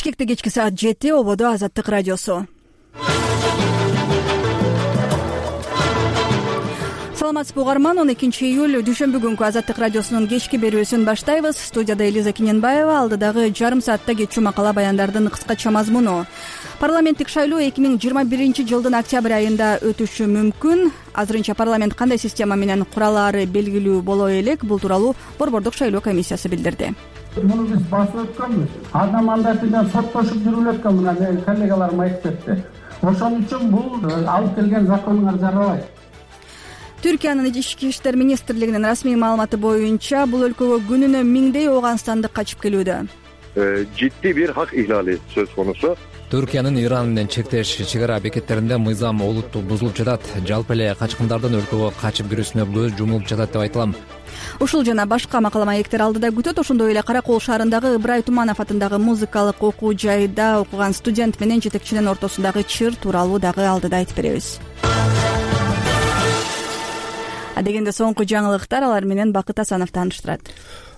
Келешекте кечки саат 7 ободо Азаттык радиосу. Саламатсызбы угарман, 12-июль дүйшөмбү күнкү Азаттык радиосунун кечки берүүсүн баштайбыз. Студияда Элиза Киненбаева, алдыдагы жарым саатта кетчү макала баяндардын кыскача мазмуну. Парламенттик шайлоо 2021-жылдын октябрь айында өтүшү мүмкүн. Азырынча парламент кандай система менен куралаары белгилүү боло элек. Бул тууралуу Борбордук шайлоо комиссиясы билдирди. Муну биз басып өткөнбүз. Ада мандат менен соттошуп жүрүп өткөн мына коллегаларым айтып кетти. Ошон үчүн бул алып келген законуңар жарабайт. Түркиянын ички иштер министрлигинин расмий маалыматы боюнча бул өлкөгө күнүнө миңдей ооганстандык качып келүүдө. Житти бир хак иhlali сөз конусу. Түркиянын Иран менен чектеш чек ара бекеттеринде мыйзам олуттуу бузулуп жатат. Жалпы эле качкындардын өлкөгө качып кирүүсүнө көз жумулуп жатат деп айтылам. Ушул жана башка макала маектер алдыда күтөт. Ошондой эле Кара Кол шаарындагы Ыбырай Туманов атындагы музыкалык окуу жайда окуган студент менен жетекчинин ортосундагы чыр тууралуу дагы алдыда айтып беребиз. Дегенде соңку жаңылыктар, алар менен Бакыт Асанов тааныштырат.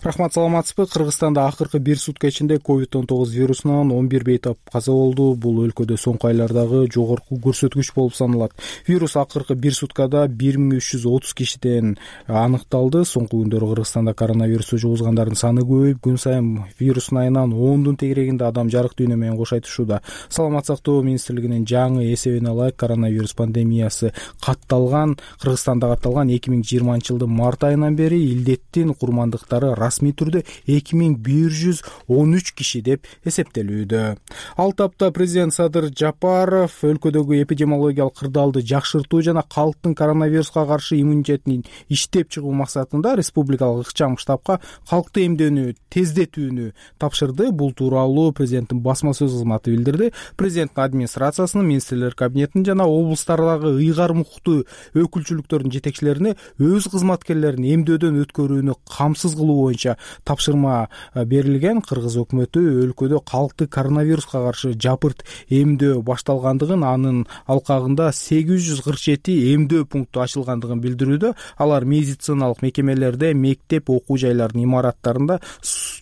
Рахмат, саламатсызбы? Кыргызстанда акыркы бир сутка ичинде COVID-19 вирусунан 11 бейтап каза болду. Бул өлкөдө соңку айлардагы жогорку көрсөткүч болуп саналат. Вирус акыркы бир суткада 1330 кишиден аныкталды. Соңку күндөрү Кыргызстанда коронавирусту жугузгандардын саны көбөйүп, күн сайын вирустун айынан 10дун тегерегинде адам жарык дүйнө менен кош айтышууда. Саламат сактоо министрлигинин жаңы эсебине ылайык коронавирус пандемиясы Кыргызстанда катталган 2020-жылдын март айынан бери илдеттин курмандыктары расмий түрдө 2113 киши деп эсептелүүдө. Ал тапта президент Садыр Жапаров өлкөдөгү эпидемиологиялык кырдаалды жакшыртуу жана калктын коронавируска каршы иммунитетин иштеп чыгуу максатында республикалык ыкчам штабка калкты эмдөөнү тездетүүнү тапшырды. Бул тууралуу президенттин басма сөз кызматы билдирди. Президенттин администрациясынын, министрлер кабинетинин жана облустардагы ыйгар мукуктуу өкүлчүлүктөрдүн жетекчилерине өз кызматкерлерин эмдөөдөн өткөрүүнү камсыз кылуу боюнча тапшырма берилген. Кыргыз өкмөтү өлкөдө калкты коронавируска каршы жапырт эмдөө башталгандыгын, анын алкагында 847 эмдөө пункту ачылгандыгын билдирүүдө. Алар медициналык мекемелерде, мектеп, окуу жайларынын имараттарында,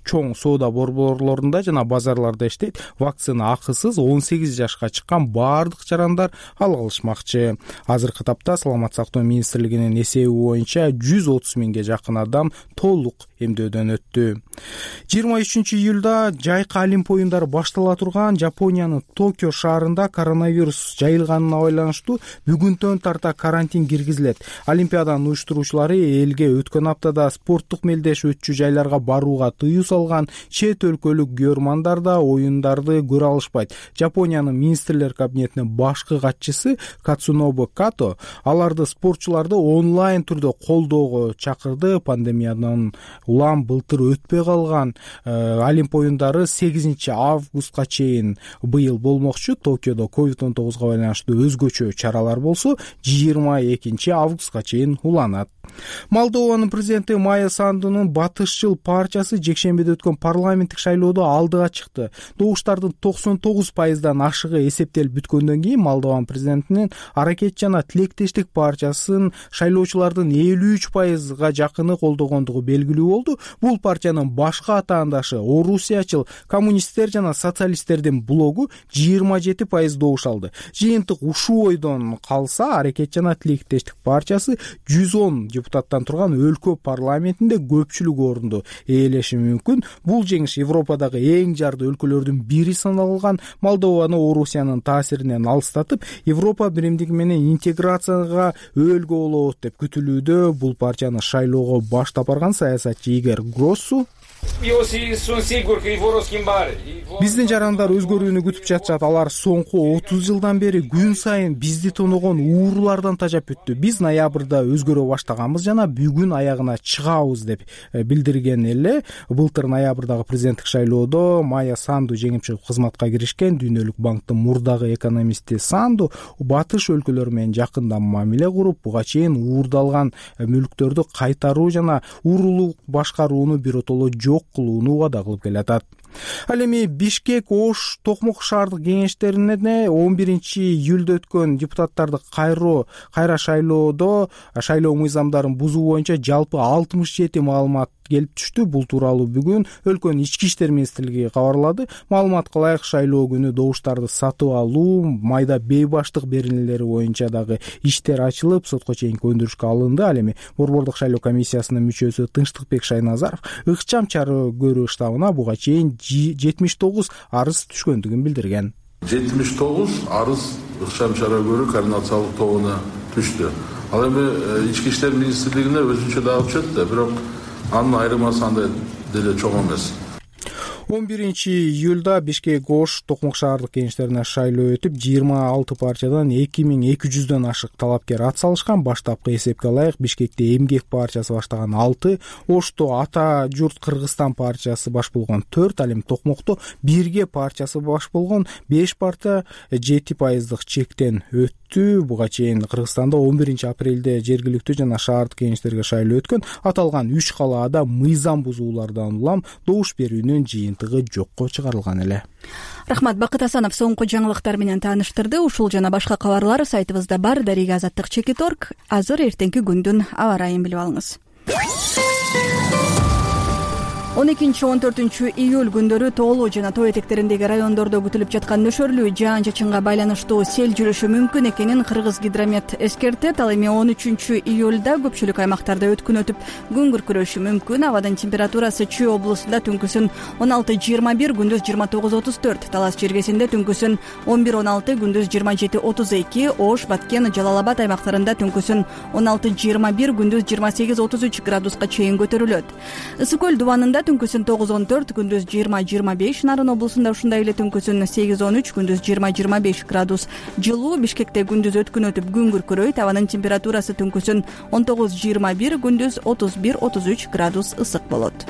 чоң соода борборлорунда жана базарларда иштейт. Вакцина акысыз, 18 жашка чыккан баардык жарандар ала алышмакчы. Азыркы тапта Саламат сактоо министрлигинин эсеби боюнча 130 миңге жакын адам толук эмдөөдөн өттү. 23-июлда жайкы Олимп оюндары баштала турган Жапониянын Токио шаарында коронавирус жайылганына байланыштуу бүгүнтөн тарта карантин киргизилет. Олимпиаданын уюштуруучулары элге өткөн аптада спорттук мелдеш өтчү жайларга барууга тыюу салган. Чет өлкөлүк көрөрмандар да оюндарды көрө алышпайт. Жапониянын министрлер кабинетинин башкы катчысы Кацунобу Като аларды спортчуларды онлайн түрдө колдоого чакырды. Пандемиядан улам былтыр өтпөй калган Олимп оюндары 8 августка чейин быйыл болмокчу. Токиодо COVID-19 байланыштуу өзгөчө чаралар болсо 22 августка чейин уланат. Молдованын президенти Майя Сандунун батышчыл партиясы жекшембиде өткөн парламенттик шайлоодо алдыга чыкты. Добуштардын 99%дан ашыгы эсептелип бүткөндөн кийин Молдован президентинин Аракет жана Тилектештик партиясын шайлоочулардын 53%га жакыны колдогондугу белгилүү болду. Бул партиянын башка атаандашы Орусиячыл коммунисттер жана социалисттердин блогу 27% добуш алды. Жыйынтык ушул ойдон калса, Аракет жана Тилектештик партиясы 110 депутаттан турган өлкө парламентинде көпчүлүк орунду ээлеши мүмкүн. Бул жеңиш Европадагы эң жарды өлкөлөрдүн бири саналган Молдованы Орусиянын таасиринен алыстатып, Европа биримдиги менен интеграцияга өөлгө болот деп күтүлүүдө. Бул партияны шайлоого баштап барган саясатчы Игор Гроссу биздин жарандар өзгөрүүнү күтүп жатышат. Алар соңку 30 жылдан бери күн сайын бизди тоногон уурулардан тажап өттү. Биз ноябрда өзгөрө баштаганбыз жана бүгүн аягына чыгабыз деп билдирген эле. Былтыр ноябрдагы президенттик шайлоодо Майя Санду жеңип чыгып кызматка киришкен. Дүйнөлүк банктын мурдагы экономисти Санду батыш өлкөлөрү менен жакында мамиле куруп, буга чейин уурдалган мүлктөрдү кайтаруу жана уурулук башкарууну биротоло жок кылууну убада кылып келатат. Ал эми Бишкек, Ош, Токмок шаардык кеңештерине 11-июлда өткөн депутаттарды кайра шайлоодо шайлоо мыйзамдарын бузуу боюнча жалпы 67 маалымат келип түштү. Бул тууралуу бүгүн өлкөнүн ички иштер министрлиги кабарлады. Маалыматка ылайык шайлоо күнү добуштарды сатып алуу, майда бейбаштык беренелери боюнча дагы иштер ачылып, сотко чейинки өндүрүшкө алынды. Ал эми Борбордук шайлоо комиссиясынын мүчөсү Тынчтыкбек Шайназаров ыкчам чара көрүү штабына буга чейин 79 арыз түшкөндүгүн билдирген. 79 арыз ыкчам чара көрүү координациялык тобуна түштү. Ал эми ички иштер министрлигине өзүнчө дагы түшөт да, бирок анын айырмасы андай деле чоң эмес. 11-июлда Бишкек Ош Токмок шаардык кеңештерине шайлоо өтүп, 26 партиядан 2200дөн ашык талапкер ат салышкан. Баштапкы эсепке ылайык Бишкекте Эмгек партиясы баштаган 6, Ошто Ата журт Кыргызстан партиясы баш болгон 4, ал эми Токмокто Бирге партиясы баш болгон 5 партия 7% чектен өттү. Буга чейин Кыргызстанда 11-апрелде жергиликтүү жана шаардык кеңештерге шайлоо өткөн. Аталган 3 калаада мыйзам бузуулардан улам добуш берүүнүн жыйынтыгы жокко чыгарылган эле. Рахмат. Бакыт Асанов соңку жаңылыктар менен тааныштырды. Ушул жана башка кабарлар сайтыбызда бар. Дарига Азаттык-Чекит.org. Азыр эртеңки күндүн аба ырайын билип алыңыз. 12-14 күндөрү тоолуу жана тоо этектериндеги райондордо күтүлүп жаткан нөшөрлүү жаан-чачынга байланыштуу сел жүрүшү мүмкүн экенин Кыргызгидромет эскертет. Ал эми 13-июлда көпчүлүк аймактарда өткүн өтүп, күн күркүрөшү мүмкүн. Абадын температурасы Чүй облусунда түнкүсүн 16-21, күндүз 29-34, Талас Черкесинде түнкүсүн 11-16, күндүз 27-32, Ош, Баткен, Жалал Абад аймактарында түнкүсүн 16-21, күндүз 28-33 градуска чейин көтөрүлөт. Ысык көл дубанында түнкүсүн 9-14, күндүз 20-25, Нарын облусунда ушундай эле түнкүсүн 8-13, күндүз 20-25 градус жылуу. Бишкекте күндүз өткүн өтүп, күн күркүрөйт. Абанын температурасы түнкүсүн 19-21, күндүз 31-33 градус ысык болот.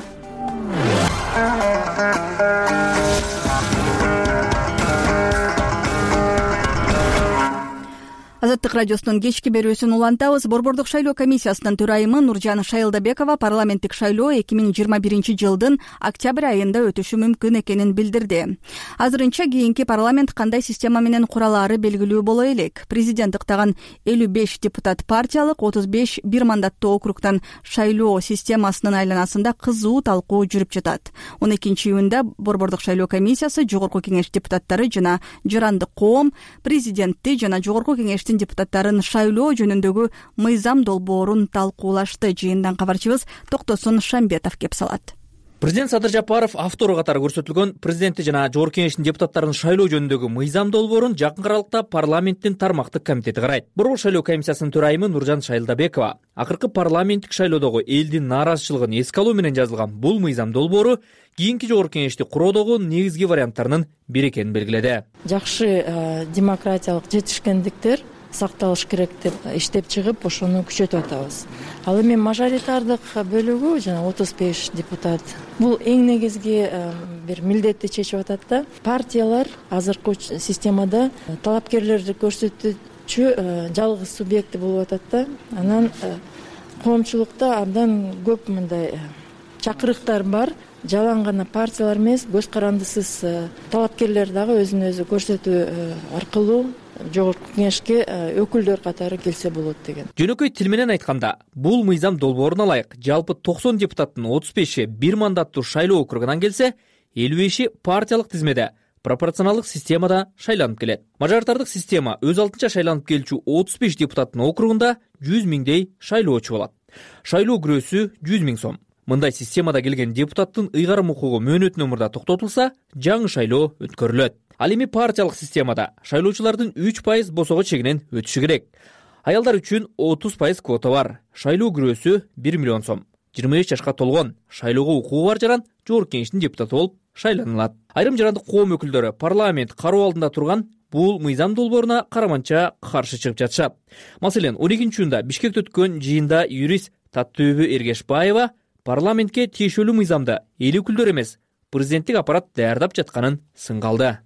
Азаттык радиосунун кечки берүүсүн улантабыз. Борбордук шайлоо комиссиясынын төрайымы Нуржан Шайылдабекова парламенттик шайлоо 2021 жылдын октябрь айында өтүшү мүмкүн экенин билдирди. Азырынча кийинки парламент кандай система менен куралаары белгилүү боло элек. Президент ыктаган 55 депутат партиялык, 35 бир мандаттуу округтан шайлоо системасынын айланасында кызуу талкуу жүрүп жатат. 12-июнда Борбордук шайлоо комиссиясы Жогорку кеңеш депутаттары жана Жарандык коом президентти жана Жогорку кеңештин депутаттарын шайлоо жөнүндөгү мыйзам долбоорун талкуулашты. Жыйындан кабарчыбыз Токтосун Шамбетов кеп салат. Президент Садыр Жапаров автору катары көрсөтүлгөн президенти жана Жогорку кеңештин депутаттарын шайлоо жөнүндөгү мыйзам долбоорун жакын аралыкта парламенттин тармактык комитети карайт. Борбордук шайлоо комиссиясынын төрайымы Нуржан Шайылдабекова акыркы парламенттик шайлоодогу элдин нааразычылыгын эске алуу менен жазылган бул мыйзам долбоору кийинки Жогорку кеңешти куроодогу негизги варианттарынын бири экенин белгиледи. Жакшы демократиялык жетишкендиктер сакталыш керек деп иштеп чыгып, ошону күчөтүп атабыз. Ал эми мажоритардык бөлүгү жана 35 депутат бул эң негизги бир милдетти чечип атат да. Партиялар азыркы системада талапкерлерди көрсөтүүчү жалгыз субъекти болуп атат да. Анан коомчулукта абдан көп мындай чакырыктар бар. Жалаң гана партиялар эмес, көз карандысыз талапкерлер дагы өзүн өзү көрсөтүү аркылуу Жогорку кеңешке өкүлдөр катары келсе болот деген. Жөнөкөй тил менен айтканда, бул мыйзам долбооруна ылайык жалпы 90 депутаттын 35-и бир мандаттуу шайлоо округунан келсе, 55-и партиялык тизмеде пропорционалдык системада шайланып келет. Мажоритардык система өз алдынча шайланып келчү 35 депутаттын округунда 100 миңдей шайлоочу болот. Шайлоо күрөөсү 100 миң сом. Мындай системада келген депутаттын ыйгарым укугу мөөнөт номурда токтотулса, жаңы шайлоо өткөрүлөт. Ал эми партиялык системада шайлоочулардын 3% босого чегинен өтүшү керек. Аялдар үчүн 30% квота бар. Шайлоо күрөөсү 1 миллион сом. 25 жашка толгон, шайлоого укугу бар жаран Жогорку кеңештин депутаты болуп шайланылат. Айрым жарандык коом өкүлдөрү парламент кароо алдында турган бул мыйзам долбооруна караманча каршы чыгып жатышат. Маселен, 12-июнда Бишкекте өткөн жыйында юрист Таттөбү Эргешбаева парламентке тиешелүү мыйзамды эл өкүлдөрү эмес, президенттик аппарат даярдап жатканын сынгалды.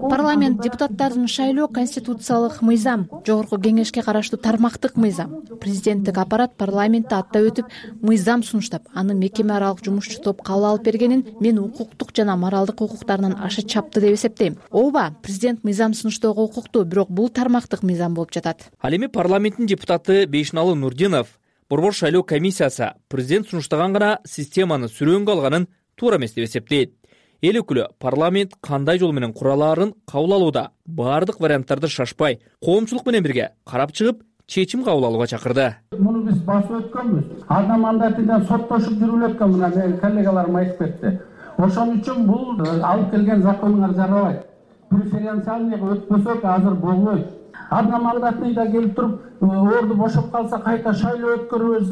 Парламент депутаттарын шайлоо конституциялык мыйзам, Жогорку кеңешке караштуу тармактык мыйзам. Президенттик аппарат парламентти аттап өтүп, мыйзам сунуштап, аны мекеме аралык жумушчу топ кабыл алып бергенин мен укуктук жана моралдык укуктарынан аша чапты деп эсептейм. Ооба, президент мыйзам сунуштоого укуктуу, бирок бул тармактык мыйзам болуп жатат. Ал эми парламенттин депутаты Бейшналы Нурдинов Борбор шайлоо комиссиясы президент сунуштаган гана системаны сүрөөнгө алганын туура эмес деп эсептейт. Эл өкүлү парламент кандай жол менен куралаарын кабыл алууда баардык варианттарды шашпай, коомчулук менен бирге карап чыгып, чечим кабыл алууга чакырды. Муну биз басып өткөнбүз. Ада мандатынан соттошуп жүрүп өткөн мына менин коллегаларым айтып кетти. Ошон үчүн бул алып келген законуңар жарабайт. Преференциальныйга өтпөсөк азыр болбойт. Ада мандатныйда келип туруп, орду бошоп калса кайта шайлоо өткөрөбүз,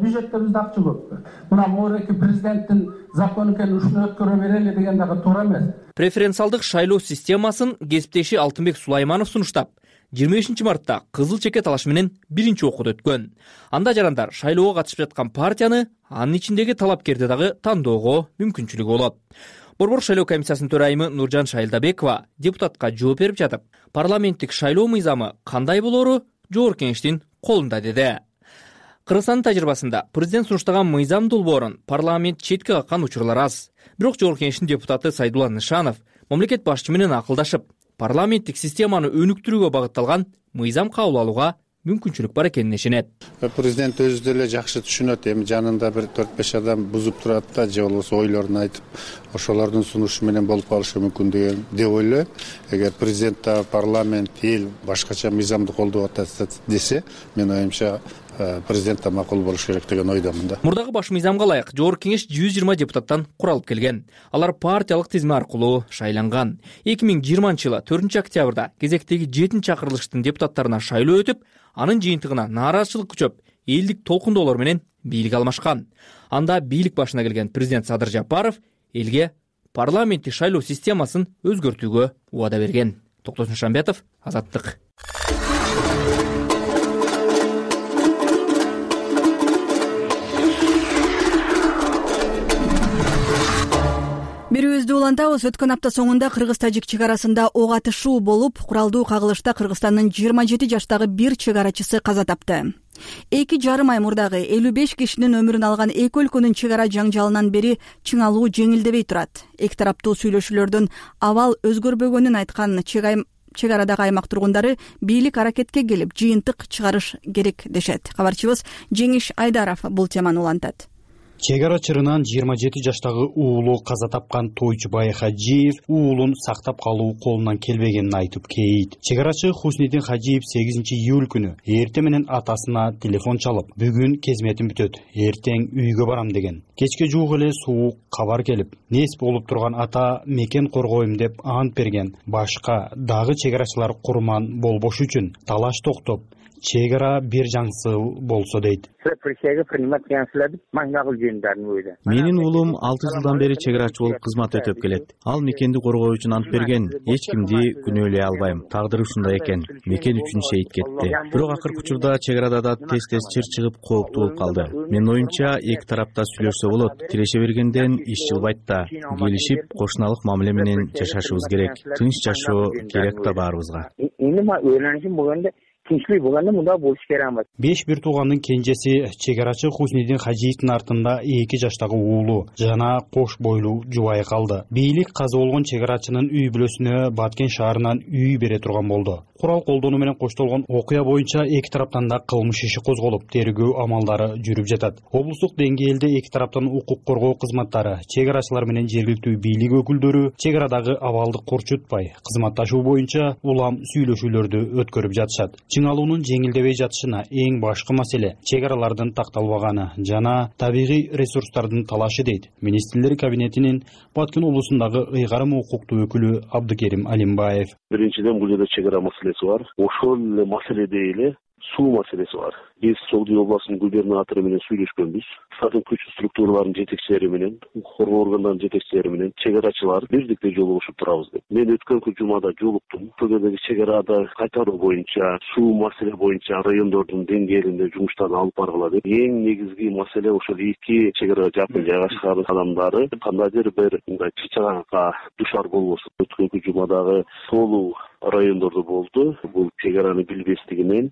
бюджетте бизде акча көп. Мына морки президенттин закону экен, ушуну өткөрө берели деген дагы туура эмес. Преференциалдык шайлоо системасын кесиптеши Алтынбек Сулайманов сунуштап, 25 мартта кызыл чеке талашы менен биринчи окууда өткөн. Анда жарандар шайлоого катышып жаткан партияны, анын ичиндеги талапкерди дагы тандоого мүмкүнчүлүгү болот. Борбор шайлоо комиссиясынын төрайымы Нуржан Шайлдабекова депутатка жооп берип жатып, парламенттик шайлоо мыйзамы кандай болору жогорку кеңештин колунда деди. Кыргызстандын тажрыйбасында президент сунуштаган мыйзам долбоорун парламент четке каккан учурлар аз. Бирок жогорку кеңештин депутаты Сайдулла Нышанов мамлекет башчысы менен акылдашып, парламенттик системаны өнүктүрүүгө багытталган мыйзам кабыл алууга мүмкүнчүлүк бар экенин ишенет. Президент өзү деле жакшы түшүнөт, эми жанында бир 4-5 адам бузуп турат да, же болбосо ойлорун айтып, ошолордун сунушу менен болуп калышы мүмкүн деп ойлойм. Эгер президент да парламент, эл башкача мыйзамды колдоп атат десе, мен оюмча президент да макул болуш керек деген ойдомун да. Мурдагы баш мыйзамга ылайык жогорку кеңеш 120 депутаттан куралып келген. Алар партиялык тизме аркылуу шайланган. 2020-жылы 4-октябрда кезектеги 7-чакырылыштын депутаттарына шайлоо өтүп, анын жыйынтыгына нааразычылык күчөп, элдик толкундоолор менен бийлик алмашкан. Анда бийлик башына келген президент Садыр Жапаров элге парламенттик шайлоо системасын өзгөртүүгө убада берген. Токтосун Шамбетов, Азаттык. Берүүбүздү улантабыз. Өткөн апта соңунда Кыргыз-Тажик чек арасында ок атышуу болуп, куралдуу кагылышта Кыргызстандын 27 жаштагы бир чек арачысы каза тапты. 2,5 ай мурдагы 55 кишинин өмүрүн алган эки өлкөнүн чек ара жаңжалынан бери чыңалуу жеңилдебей турат. Эки тараптуу сүйлөшүүлөрдүн абал өзгөрбөгөнүн айткан чек арадагы аймак тургундары бийлик аракетке келип, жыйынтык чыгарыш керек дешет. Кабарчыбыз Жеңиш Айдаров бул теманы улантат. Чек ара чырынан 27 жаштагы уулу каза тапкан Тойчубай Хажиев уулун сактап калуу колунан келбегенин айтып кейит. Чек арачы Хуснидин Хажиев 8-июль күнү эртең менен атасына телефон чалып, бүгүн кезметим бүтөт, эртең үйгө барам деген. Кечке жуук эле суук кабар келип, нес болуп турган ата мекен коргойм деп ант берген. Башка дагы чек арачылар курман болбош үчүн талаш токтоп, чек ара бир жаңсыл болсо дейт. Менин уулум 6 жылдан бери чек арачы болуп кызмат өтөп келет. Ал мекенди коргоо үчүн ант берген. Эч кимди күнөөлөй албайм. Тагдыры ушундай экен. Мекен үчүн шейит кетти. Бирок акыркы учурда чек арада да тез чыр чыгып кооптуу болуп калды. Менин оюмча эки тарапта сүйлөшсө болот. Тиреше бергенден иш жылбайт да. Келишип, кошуналык мамиле менен жашашыбыз керек. Тынч жашоо керек да баарыбызга. Тинчтик болгондо мында болуш керек эмес. 5 бир туугандын кенжеси чек арачы Хуснидин Хажиевдин артында 2 жаштагы уулу жана кош бойлуу жубайы калды. Бийлик каза болгон чек арачынын үй бүлөсүнө Баткен шаарынан үй бере турган болду. Курал колдонуу менен коштолгон окуя боюнча эки тараптан да кылмыш иши козголуп, тергөө амалдары жүрүп жатат. Облустук деңгээлде эки тараптан укук коргоо кызматтары, чек арачылар менен жергиликтүү бийлик өкүлдөрү чек арадагы абалды корчутпай, кызматташуу боюнча улам сүйлөшүүлөрдү өткөрүп жатышат. Чыңалуунун жеңилдебей жатышына эң башкы маселе чек аралардын такталбаганы жана табигый ресурстардын талашы дейт Министрлер кабинетинин Баткен облусундагы ыйгарым укуктуу өкүлү Абдыкерим Алимбаев. Биринчиден бул жерде чек ара маселеси бар. Ошол эле маселеде эле суу маселеси бар. Биз Согдуй областынын губернатору менен сүйлөшкөнбүз. Сатын күч структураларынын жетекчилери менен, коргоо органдарынын жетекчилери менен чек арачылар бирдикте жолугушуп турабыз деп. Мен өткөнкү жумада жолуктум. Бул жердеги чек арада кайтаруу боюнча, суу маселе боюнча райондордун деңгээлинде жумуштарды алып баргыла деп. Эң негизги маселе ошол эки чек ара жакын жайгашкан адамдары кандайдыр бир мындай чычаганга душар болбосун. Өткөнкү жумадагы Солу райондордо болду. Бул чек араны билбестигинен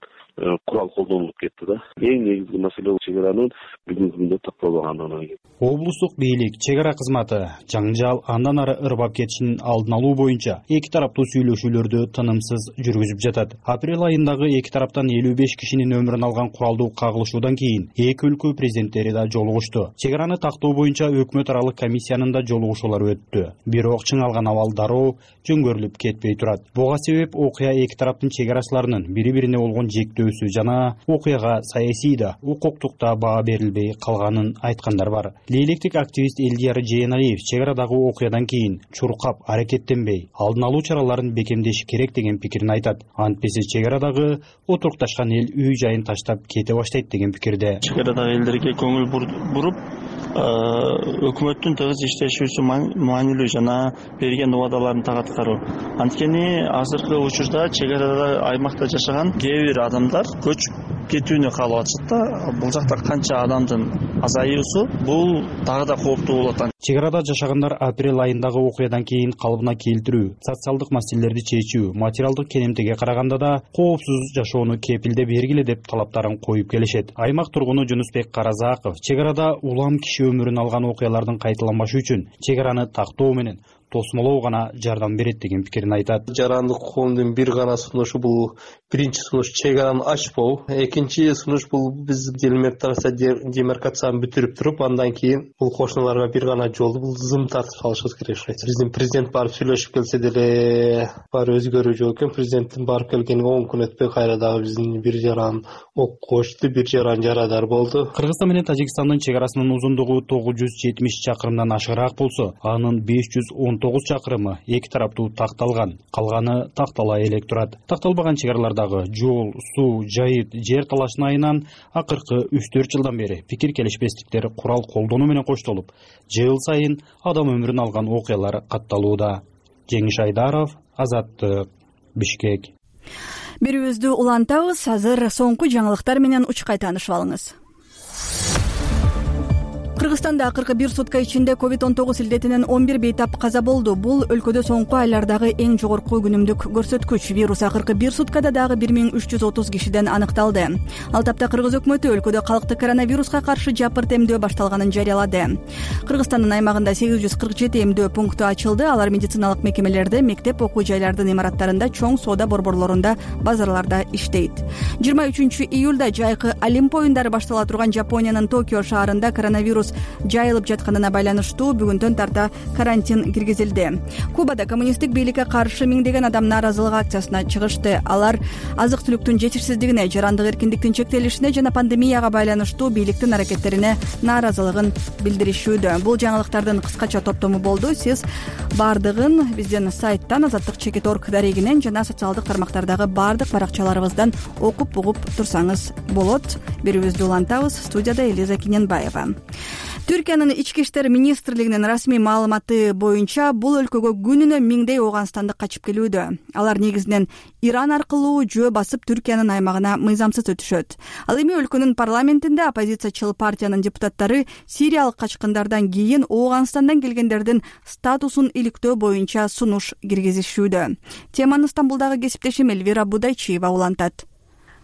курал колдонулуп кетти да. Эң негизги маселе чек аранын бүгүнкү күндө такталбагандыгы. Облустук бийлик чек ара кызматы жаңжал андан ары ырбап кетишин алдын алуу боюнча эки тараптуу сүйлөшүүлөрдү тынымсыз жүргүзүп жатат. Апрель айындагы эки тараптан 55 кишинин өмүрүн алган куралдуу кагылышуудан кийин эки өлкө президенттери да жолугушту. Чек араны тактоо боюнча өкмөт аралык комиссиянын да жолугушуулары өттү. Бирок чыңалган абал дароо жөңгөрүлүп кетпей турат. Буга себеп окуя эки тараптын чек арачыларынын бири-бирине болгон жектөөсү жана окуяга саясий да, укуктук да баа берилбей калганын айткандар бар. Лейлектик активист Элдияр Жээналиев чек арадагы окуядан кийин чуркап аракеттенбей, алдын алуу чараларын бекемдеш керек деген пикирин айтат. Антпесе чек арадагы отурукташкан эл үй жайын таштап кете баштайт деген пикирде. Чек арадагы элдерге көңүл буруп, өкмөттүн тыгыз иштешүүсү маанилүү жана берген убадаларын так аткаруу. Анткени азыркы учурда чек арада аймакта жашаган кээ бир адамдар көчүп кетүүнү каалап атышат да. Бул жакта канча адамдын азаюусу бул дагы да кооптуу болот. Чек арада жашагандар апрель айындагы окуядан кийин калыбына келтирүү, социалдык маселелерди чечүү, материалдык кенемтеге караганда да коопсуз жашоону кепилде бергиле деп талаптарын коюп келишет. Аймак тургуну Жунусбек Каразаков чек арада улам киши өмүрүн алган окуялардын кайталанбашы үчүн чек араны тактоо менен тосмолоо гана жардам берет деген пикирин айтат. Жарандык коомдун бир гана сунушу бул биринчи сунуш чек араны ачпоо, экинчи сунуш бул биз делимитация демаркацияны бүтүрүп туруп, андан кийин бул кошуналарга бир гана жолду бул зым тартып салышыбыз керек. Биздин президент барып сүйлөшүп келсе деле бар өзгөрүү жок экен. Президенттин барып келгенине 10 күн өтпөй кайра дагы биздин бир жаран ок кочту, бир жаран жарадар болду. Кыргызстан менен Тажикстандын чек арасынын узундугу 970 чакырымдан ашыгыраак болсо, анын 519 чакырымы эки тараптуу такталган, калганы тактала элек турат. Такталбаган чек аралардагы жол, суу, жайыт, жер талашын айынан акыркы 3-4 жылдан бери пикир келишпестиктер курал колдонуу менен коштолуп, жыл сайын адам өмүрүн алган окуялар катталууда. Жеңиш Айдаров, Азаттык, Бишкек. Берүүбүздү улантабыз. Азыр соңку жаңылыктар менен учкай таанышып алыңыз. Кыргызстанда акыркы бир сутка ичинде COVID-19 илдетинен 11 бейтап каза болду. Бул өлкөдө соңку айлардагы эң жогорку күнүмдүк көрсөткүч. Вирус акыркы бир суткада дагы 1330 кишиден аныкталды. Ал тапта Кыргыз өкмөтү өлкөдө калкты коронавируска каршы жапырт эмдөө башталганын жарыялады. Кыргызстандын аймагында 847 эмдөө пункту ачылды. Алар медициналык мекемелерде, мектеп, окуу жайлардын имараттарында, чоң соода борборлорунда, базарларда иштейт. 23-июлда жайкы Олимп оюндары баштала турган Жапониянын Токио шаарында коронавирус жайылып жатканына байланыштуу бүгүндөн тарта карантин киргизилди. Кубада коммунисттик бийликке каршы миңдеген адам нааразылык акциясына чыгышты. Алар азык-түлүктүн жетишсиздигине, жарандык эркиндиктин чектелишине жана пандемияга байланыштуу бийликтин аракеттерине нааразылыгын билдиришүүдө. Бул жаңылыктардын кыскача топтому болду. Сиз бардыгын биздин сайттан, Азаттык.org дарегинен жана социалдык тармактардагы бардык баракчаларыбыздан окуп угуп турсаңыз болот. Берүүбүздү улантабыз. Студияда Элиза Киненбаева. Түркиянын ички иштер министрлигинин расмий маалыматы боюнча бул өлкөгө күнүнө миңдей ооганстандык качып келүүдө. Алар негизинен Иран аркылуу жөө басып Түркиянын аймагына мыйзамсыз өтүшөт. Ал эми өлкөнүн парламентинде оппозициячыл партиянын депутаттары сириялык качкындардан кийин Ооганстандан келгендердин статусун иликтөө боюнча сунуш киргизишүүдө. Теманы Стамбулдагы кесиптешим Элвира Будайчиева улантат.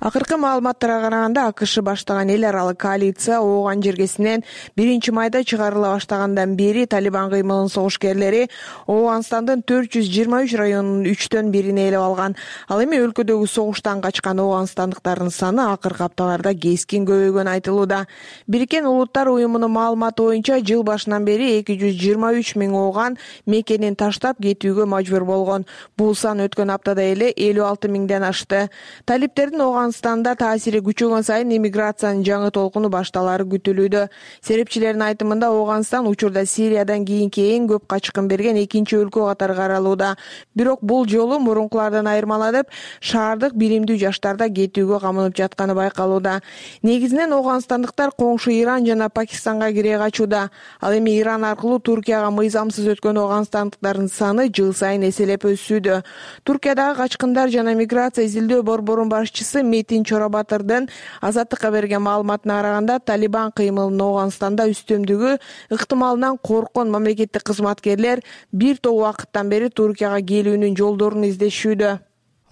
Акыркы маалыматтарга караганда АКШ баштаган эл аралык коалиция ооган жергесинен 1-майда чыгарыла баштагандан бери Талибан кыймылынын согушкерлери Ооганстандын 423 районунун 3/1 ээлеп алган. Ал эми өлкөдөгү согуштан качкан ооганстандыктардын саны акыркы апталарда кескин көбөйгөнү айтылууда. Бириккен Улуттар уюмунун маалыматы боюнча жыл башынан бери 223 миң ооган мекенин таштап кетүүгө мажбур болгон. Бул сан өткөн аптада эле 56 миңден ашты. Талиптердин Ооганстанда таасири күчөгөн сайын иммиграциянын жаңы толкуну башталары күтүлүүдө. Серепчилердин айтымында Ооганстан учурда Сириядан кийинки эң көп качкын берген экинчи өлкө катары каралууда. Бирок бул жолу мурункулардан айырмаланып, шаардык биримдүү жаштарда кетүүгө камынып жатканы байкалууда. Негизинен ооганстандыктар коңшу Иран жана Пакистанга кире качууда. Ал эми Иран аркылуу Туркияга мыйзамсыз өткөн ооганстандыктардын саны жыл сайын эселеп өсүүдө. Туркиядагы качкындар жана миграция изилдөө борборунун башчысы Метин Чорабатырдын Азаттыкка берген маалыматына караганда, Талибан кыймылынын Ооганстанда үстөмдүгү ыктымалынан корккон мамлекеттик кызматкерлер бир топ убакыттан бери Туркияга келүүнүн жолдорун издешүүдө.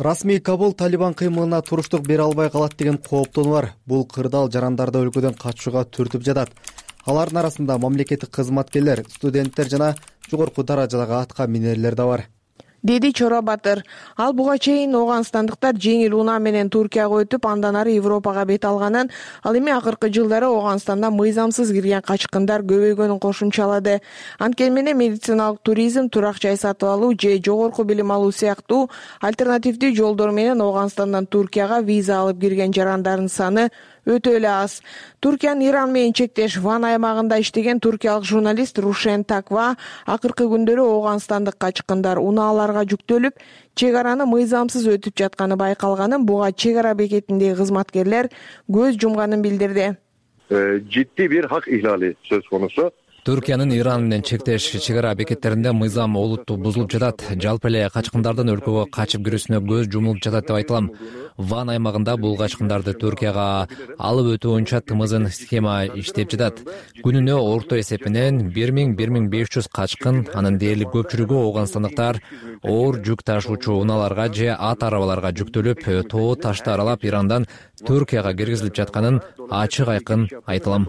Расмий Кабул Талибан кыймылына туруштук бере албай калат деген кооптонуу бар. Бул кырдаал жарандарды өлкөдөн качууга түртүп жатат. Алардын арасында мамлекеттик кызматкерлер, студенттер жана жогорку даражадагы атка минерлер да бар, деди Чора Батыр. Ал буга чейин ооганстандыктар жеңил унаа менен Туркияга өтүп, андан ары Европага бет алганын, ал эми акыркы жылдары Ооганстанда мыйзамсыз кирген качкындар көбөйгөнүн кошумчалады. Анткени менен медициналык туризм, турак жай сатып алуу же жогорку билим алуу сыяктуу альтернативдүү жолдор менен Ооганстандан Туркияга виза алып кирген жарандардын саны өтө эле аз. Туркиянын Иран менен чектеш Ван аймагында иштеген туркиялык журналист Рушен Таква акыркы күндөрү ооганстандык качкындар унааларга жүктөлүп, чек араны мыйзамсыз өтүп жатканы байкалганын, буга чек ара бекетиндеги кызматкерлер көз жумганын билдирди. Ciddi bir hak ihlali söz konusu. Түркиянын Иран менен чектеш чек ара бекеттеринде мыйзам олуттуу бузулуп жатат. Жалпы эле качкындардын өлкөгө качып кирүүсүнө көз жумулуп жатат деп айтылам. Ван аймагында бул качкындарды Түркияга алып өтүү боюнча тымызын схема иштеп жатат. Күнүнө орто эсепинен 1000-1500 качкын, анын дээрлик көпчүлүгү ооганстандыктар оор жүк ташуучу унааларга же ат арабаларга жүктөлүп, тоо ташты аралап Ирандан Түркияга киргизилип жатканын ачык айкын айтылам,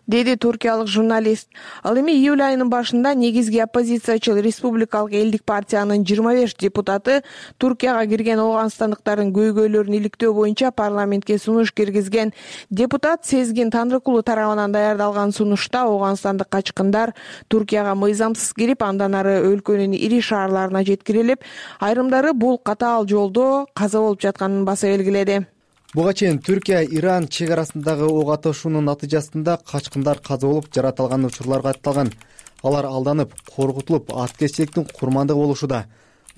деди туркиялык журналист. Ал эми июль айынын башында негизги оппозициячыл Республикалык элдик партиянын 25 депутаты Туркияга кирген ооганстандыктардын көйгөйлөрүн иликтөө боюнча парламентке сунуш киргизген. Депутат Сезгин Танрыкулу тарабынан даярдалган сунушта ооганстандык качкындар Туркияга мыйзамсыз кирип, андан ары өлкөнүн ири шаарларына жеткирилип, айрымдары бул катаал жолдо каза болуп жатканын баса белгиледи. Буга чейин Түркия Иран чек арасындагы ок атышуунун натыйжасында качкындар каза болуп, жаратылган учурлар катталган. Алар алданып, коркутулуп, аткечиликтин курмандыгы болушуда.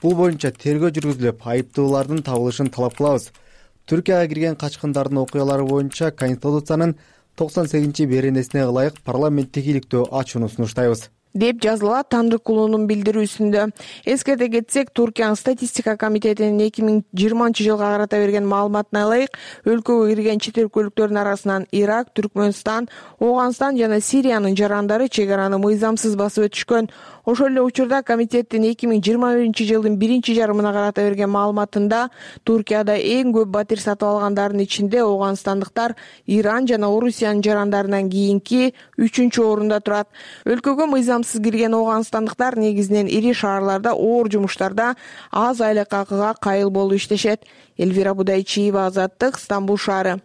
Бул боюнча тергөө жүргүзүлүп, айыптуулардын табылышын талап кылабыз. Түркияга кирген качкындардын окуялары боюнча Конституциянын 98-беренесине ылайык парламенттик иликтөө ачууну сунуштайбыз, деп жазылат Танрыкулунун билдирүүсүндө. Эскерте кетсек, Туркиянын статистика комитетинин 2020 жылга карата берген маалыматына ылайык, өлкөгө кирген чет өлкөлүктөрдүн арасынан Ирак, Түркмөнстан, Ооганстан жана Сириянын жарандары чек араны мыйзамсыз басып өтүшкөн. Ошол эле учурда комитеттин 2021 жылдын биринчи жарымына карата берген маалыматында Туркияда эң көп батир сатып алгандардын ичинде ооганстандыктар Иран жана Орусиянын жарандарынан кийинки 3-орунда турат. Өлкөгө мыйзамсыз кирген ооганстандыктар негизинен ири шаарларда оор жумуштарда аз айлык акыга кайыл болуп иштешет. Элвира Будайчиева, Азаттык, Стамбул шаары.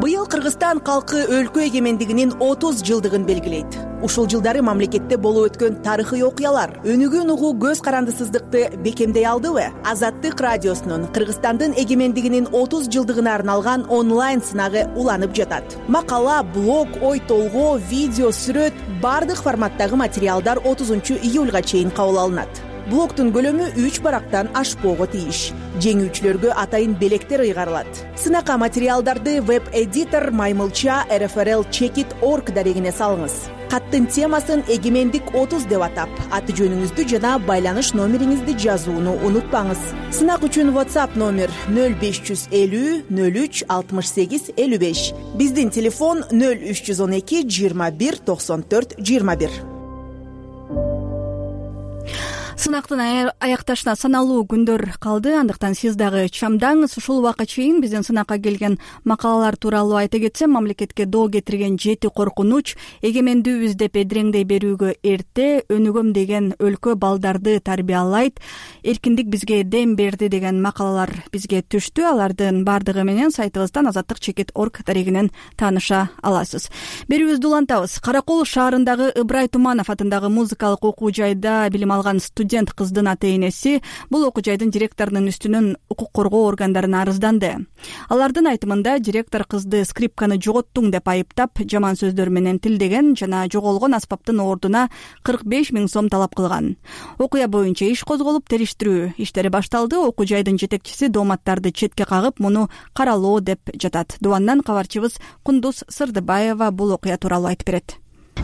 Быйыл Кыргызстан калкы өлкө эгемендигинин 30 жылдыгын белгилейт. Ушул жылдары мамлекетте болуп өткөн тарыхый окуялар өнүгүүнү угуу көз карандысыздыкты бекемдей алдыбы? Азаттык радиосунун Кыргызстандын эгемендигинин 30 жылдыгына арналган онлайн сынагы уланып жатат. Макала, блог, ой толгоо, видео, сүрөт бардык форматтагы материалдар 30 июлга чейин кабыл алынат. Блогтун көлөмү 3 барактан ашпоого тийиш. Жеңүүчүлөргө атайын белектер ыйгарылат. Сынакка материалдарды веб-эдитор Маймылча RFRL-Checkit.org дарегине салыңыз. Каттын темасын эгемендик 30 деп атап, аты жөнүңүздү жана байланыш номериңизди жазууну унутпаңыз. Сынак үчүн WhatsApp номер 0550 03 68 55. Биздин телефон 0312 21 94 21. Сынактын аякташына саналуу күндөр калды, андыктан сиз дагы чамдаңыз. Ушул убакка чейин биздин сынакка келген макалалар тууралуу айта кетсем, мамлекетке доо кетирген 7 коркунуч, эгемендүүбүз деп эдиреңдей берүүгө эрте, өнүгөм деген өлкө балдарды тарбиялайт, эркиндик бизге дем берди деген макалалар бизге түштү. Алардын бардыгы менен сайтыбыздан Азаттык.Checkit.org дарегинен тааныша аласыз. Берүүбүздү улантабыз. Каракол шаарындагы Ыбырай Туманов атындагы музыкалык окуу жайда билим алган студент кыздын ата-энеси бул окуу жайдын директорунун үстүнөн укук коргоо органдарына арызданды. Алардын айтымында директор кызды скрипканы жоготтуң деп айыптап, жаман сөздөр менен тилдеген жана жоголгон аспаптын ордуна 45 000 сом талап кылган. Окуя боюнча иш козголуп, териштирүү иштери башталды. Окуу жайдын жетекчиси дооматтарды четке кагып, муну каралоо деп жатат. Дубандан кабарчыбыз Кундуз Сырдыбаева бул окуя тууралуу айтып берет.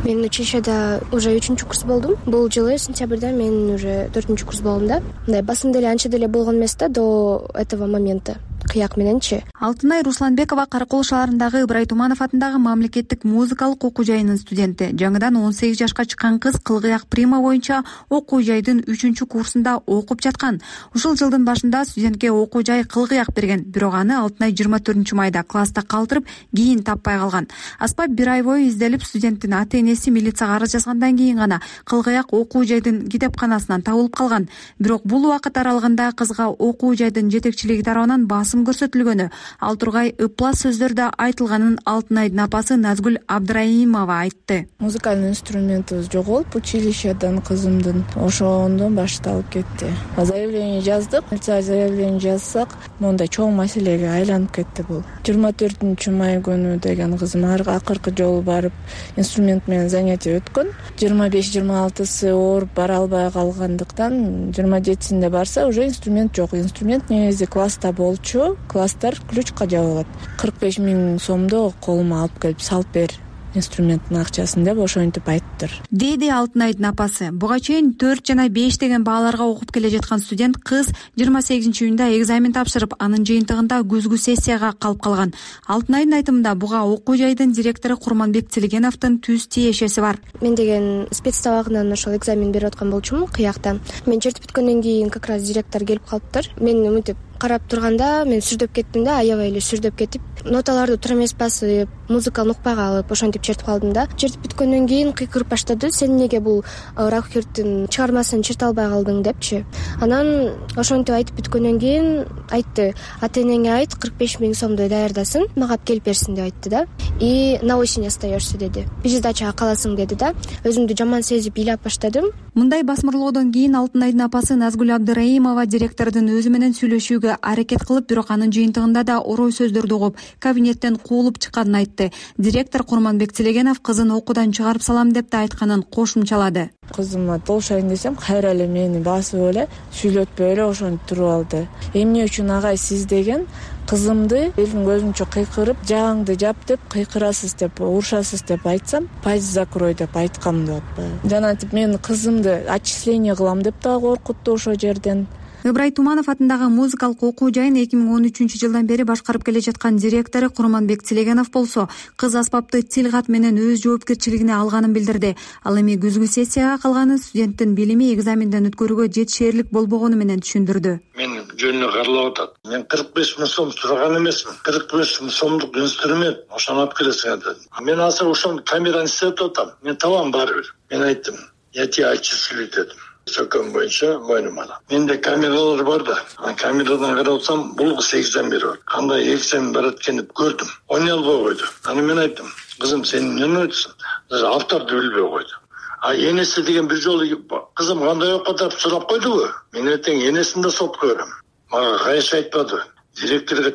Мен училищеде уже 3-курс болдум. Бул жылы сентябрда мен уже 4-курс болдум да. Мындай басында эле анча деле болгон эмес да, до этого момента. кыяк мененчи. Алтынай Русланбекова Каракол шаарындагы Ыбырай Туманов атындагы мамлекеттик музыкалык окуу жайынын студенти. Жаңыдан 18 жашка чыккан кыз кылгыяк прима боюнча окуу жайдын 3-курсунда окуп жаткан. Ушул жылдын башында студентке окуу жай кылгыяк берген, бирок аны Алтынай 24-майда класста калтырып, кийин таппай калган. Аспап бир ай бою изделип, студенттин ата-энеси милицияга арыз жазгандан кийин гана кылгыяк окуу жайдын китепканасынан табылып калган. Бирок бул убакыт аралыгында кызга окуу жайдын жетекчилиги тарабынан басым көрсөтүлгөнү, ал тургай ыплас сөздөрдө айтылганын Алтынайдын апасы Назгүл Абдраимова айтты. Музыкальный инструментибиз жоголуп, училищеден кызымдын ошондон башталып кетти. Заявление жаздык. Заявление жазсак, мондай чоң маселеге айланып кетти бул. 24-май күнү деген кызым акыркы жолу барып инструмент менен занятие өткөн. 25-26 ооруп бара албай калгандыктан 27-синде барса уже инструмент жок. Инструмент негизи класста болчу. Класстар ключка жабылат. 45 000 сомдо колума алып келип салып бер инструменттин акчасын деп ошентип айттыр, деди Алтынайдын апасы. Буга чейин 4 жана 5 деген бааларга окуп келе жаткан студент кыз 28-июнда экзамен тапшырып, анын жыйынтыгында күзгү сессияга калып калган. Алтынайдын айтымында буга окуу жайдын директору Курманбек Тилегеновдун түз тиешеси бар. Мен деген спец сабагынан ошол экзамен берип аткан болчумун кыякта. Мен чертип бүткөндөн кийин как раз директор келип калыптыр. Мен уминтип карап турганда мен сүрдөп кеттим да, аябай эле сүрдөп кетип, ноталарды туура эмес басып, музыкалык нукпага алып ошентип чертип калдым да. Чертип бүткөндөн кийин кыйкырып баштады: "Сен эмнеге бул Рахерттин чыгармасын черте албай калдың?" депчи. Анан ошентип айтып бүткөндөн кийин айтты: "Ата-энеңе айт, 45 000 сомду даярдасын, мага келип берсин" деп айтты да. "И на осень остаешься" деди. "Пересдачага каласың" деди да. Өзүмдү жаман сезип ыйлап баштадым. Мындай басмырлоодон кийин Алтынайдын апасы Назгүл Абдраимова директордун өзү менен сүйлөшүүгө аракет кылып, бирок анын жыйынтыгында да орой сөздөрдү угуп, кабинеттен куулуп чыкканын айтты. Директор Курманбек Тилегенов кызын окуудан чыгарып салам деп да айтканын кошумчалады. Кызыма болушайын десем, кайра эле мени басып эле, сүйлөтпөй эле ошентип туруп алды. "Эмне үчүн агай сиз деген кызымды элдин көзүнчө кыйкырып, жагыңды жап деп кыйкырасыз деп, урушасыз деп айтсам, паиз закрой деп айткам" деп атпайбы. Жанатип мен кызымды отчисление кылам деп да коркутту ошол жерден. Ыбырай Туманов атындагы музыкалык окуу жайын 2013-жылдан бери башкарып келе жаткан директору Курманбек Тилегенов болсо, кыз аспапты тил кат менен өз жоопкерчилигине алганын билдирди. Ал эми күзгү сессияга калганын студенттин билими экзаменден өткөрүүгө жетишээрлик болбогону менен түшүндүрдү. "Мен жөнүнө каралап атат. Мен 45 000 сом сураган эмесмин. 45 000 сомдук инструмент ошону алып келесиң деди. Мен азыр ошону камераны иштетип атам. Мен табам барыбир. Мен айттым: "Я тебя отчислю" дедим. Сөкөм боюнча мойнума алам. Менде камералар бар да. Камерадан карап атсам, бул кыз экзамен берип атат. Кандай экзамен барат экен деп көрдүм. Ойнай албай койду. Аны мен айттым: "Кызым, сен эмне өтсүң?" Автарды билбей койду. Энеси деген бир жолу "Кызым кандай окуп атат" деп сурап койдубу? Мен эртең энесин да сотко берем. Мага кайсы айтпады. Директорго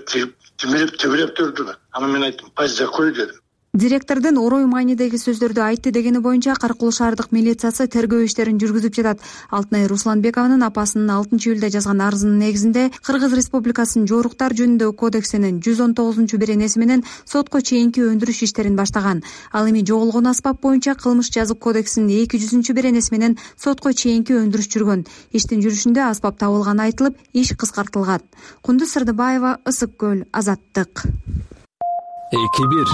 тибиреп турду. Аны мен айттым: "Паиз закрой" дедим. Директордун орой маанидеги сөздөрдү айтты дегени боюнча Каракол шаардык милициясы тергөө иштерин жүргүзүп жатат. Алтынай Русланбекованын апасынын 6-июлда жазган арызынын негизинде Кыргыз Республикасынын жоруктар жөнүндөгү кодексинин 119-беренеси менен сотко чейинки өндүрүш иштерин баштаган. Ал эми жоголгон аспап боюнча Кылмыш жазык кодексинин 200-беренеси менен сотко чейинки өндүрүш жүргөн. Иштин жүрүшүндө аспап табылганы айтылып, иш кыскартылган. Кундуз Сырдыбаева, Ысык көл, Азаттык. 2-1.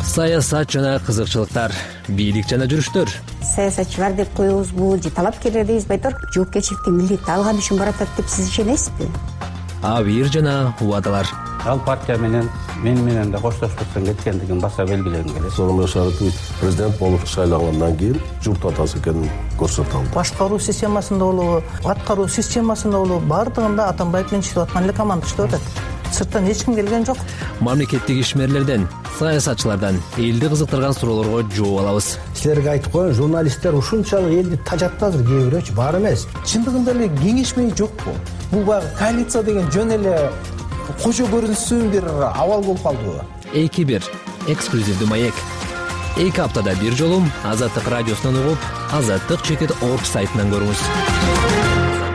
Саясат жана кызыкчылыктар, бийлик жана жүрүштөр. Саясатчылар деп коебузбу же талапкерлер дейбизби, айтор жоопкерчиликти милдетти алган үчүн баратат деп сиз ишенесизби? Абийир жана убадалар. Ал партия менен мен менен да коштошпостон кеткендигин баса белгилегим келет. Сооронбай Шарипович президент болуп шайлангандан кийин журт атасы экенин көрсөтө алды. Башкаруу системасында болобу, аткаруу системасында болобу, баардыгында Атамбаев менен иштеп аткан эле команда иштеп атат. Сырттан эч ким келген жок. Мамлекеттик ишмерлерден, саясатчылардан элди кызыктырган суроолорго жооп алабыз. Силерге айтып коеюн, журналисттер ушунчалык элди тажатты азыр, кээ бирөөчү бар эмес. Чындыгында эле кеңешмей жокпу? Бул баягы коалиция деген жөн эле кожо көрүнүшсүн бир абал болуп калдыбы? 2-1. Эксклюзивдүү маек. 2 аптада бир жолу Азаттык радиосунан угуп, azattik.org сайтынан көрүңүз.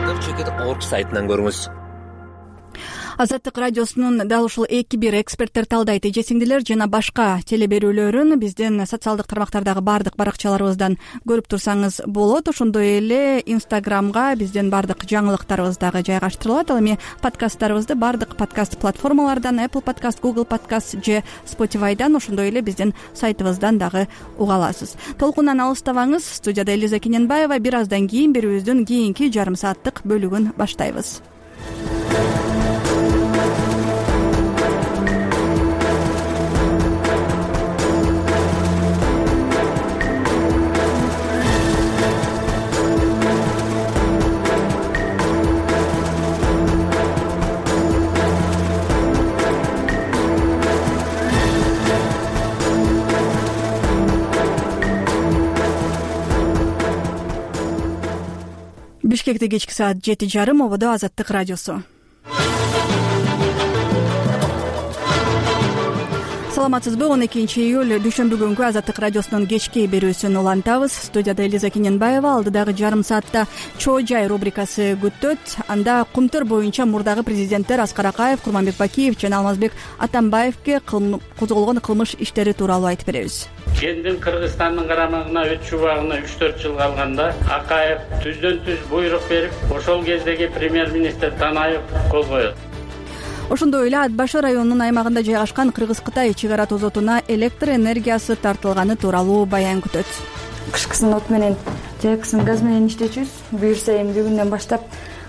azattik.org сайтынан көрүңүз. Азаттык радиосунун дал ушул 2-1 эксперттер талдайт эжесиңдилер жана башка телеберүүлөрүн биздин социалдык тармактардагы бардык баракчаларыбыздан көрүп турсаңыз болот. Ошондой эле Инстаграмга биздин бардык жаңылыктарыбыз дагы жайгаштырылат. Ал эми подкасттарыбызды бардык подкаст платформалардан, Apple Podcast, Google Podcast же Spotify'дан, ошондой эле биздин сайтыбыздан дагы уга аласыз. Толкундан алыстабаңыз. Студияда Элиза Кененбаева. Бир аздан кийин берүүбүздүн кийинки жарым сааттык бөлүгүн баштайбыз. Бишкекте кечки саат 7:30, ободо Азаттык радиосу. Саламатсызбы? 12-июль дүйшөмбү күнгү Азаттык радиосунун кечки берүүсүн улантабыз. Студияда Элиза Кененбаева. Алдыдагы жарым саатта Чоо жай рубрикасы күттөт. Анда кумтөр боюнча мурдагы президенттер Аскар Акаев, Курманбек Бакиев жана Алмазбек Атамбаевге козголгон кылмыш иштери тууралуу айтып беребиз. Кендин Кыргызстандын карамагына өтүш убагына 3-4 жыл калганда Акаев түздөн-түз буйрук берип, ошол кездеги премьер-министр Танаев кол коет. Ошондой эле Ат Башы районунун аймагында жайгашкан Кыргыз-Кытай чек ара тозотуна электр энергиясы тартылганы тууралуу баян күтөт. Кышкысын от менен, жайкысын газ менен иштечүбүз. Буюрса эмди күндөн баштап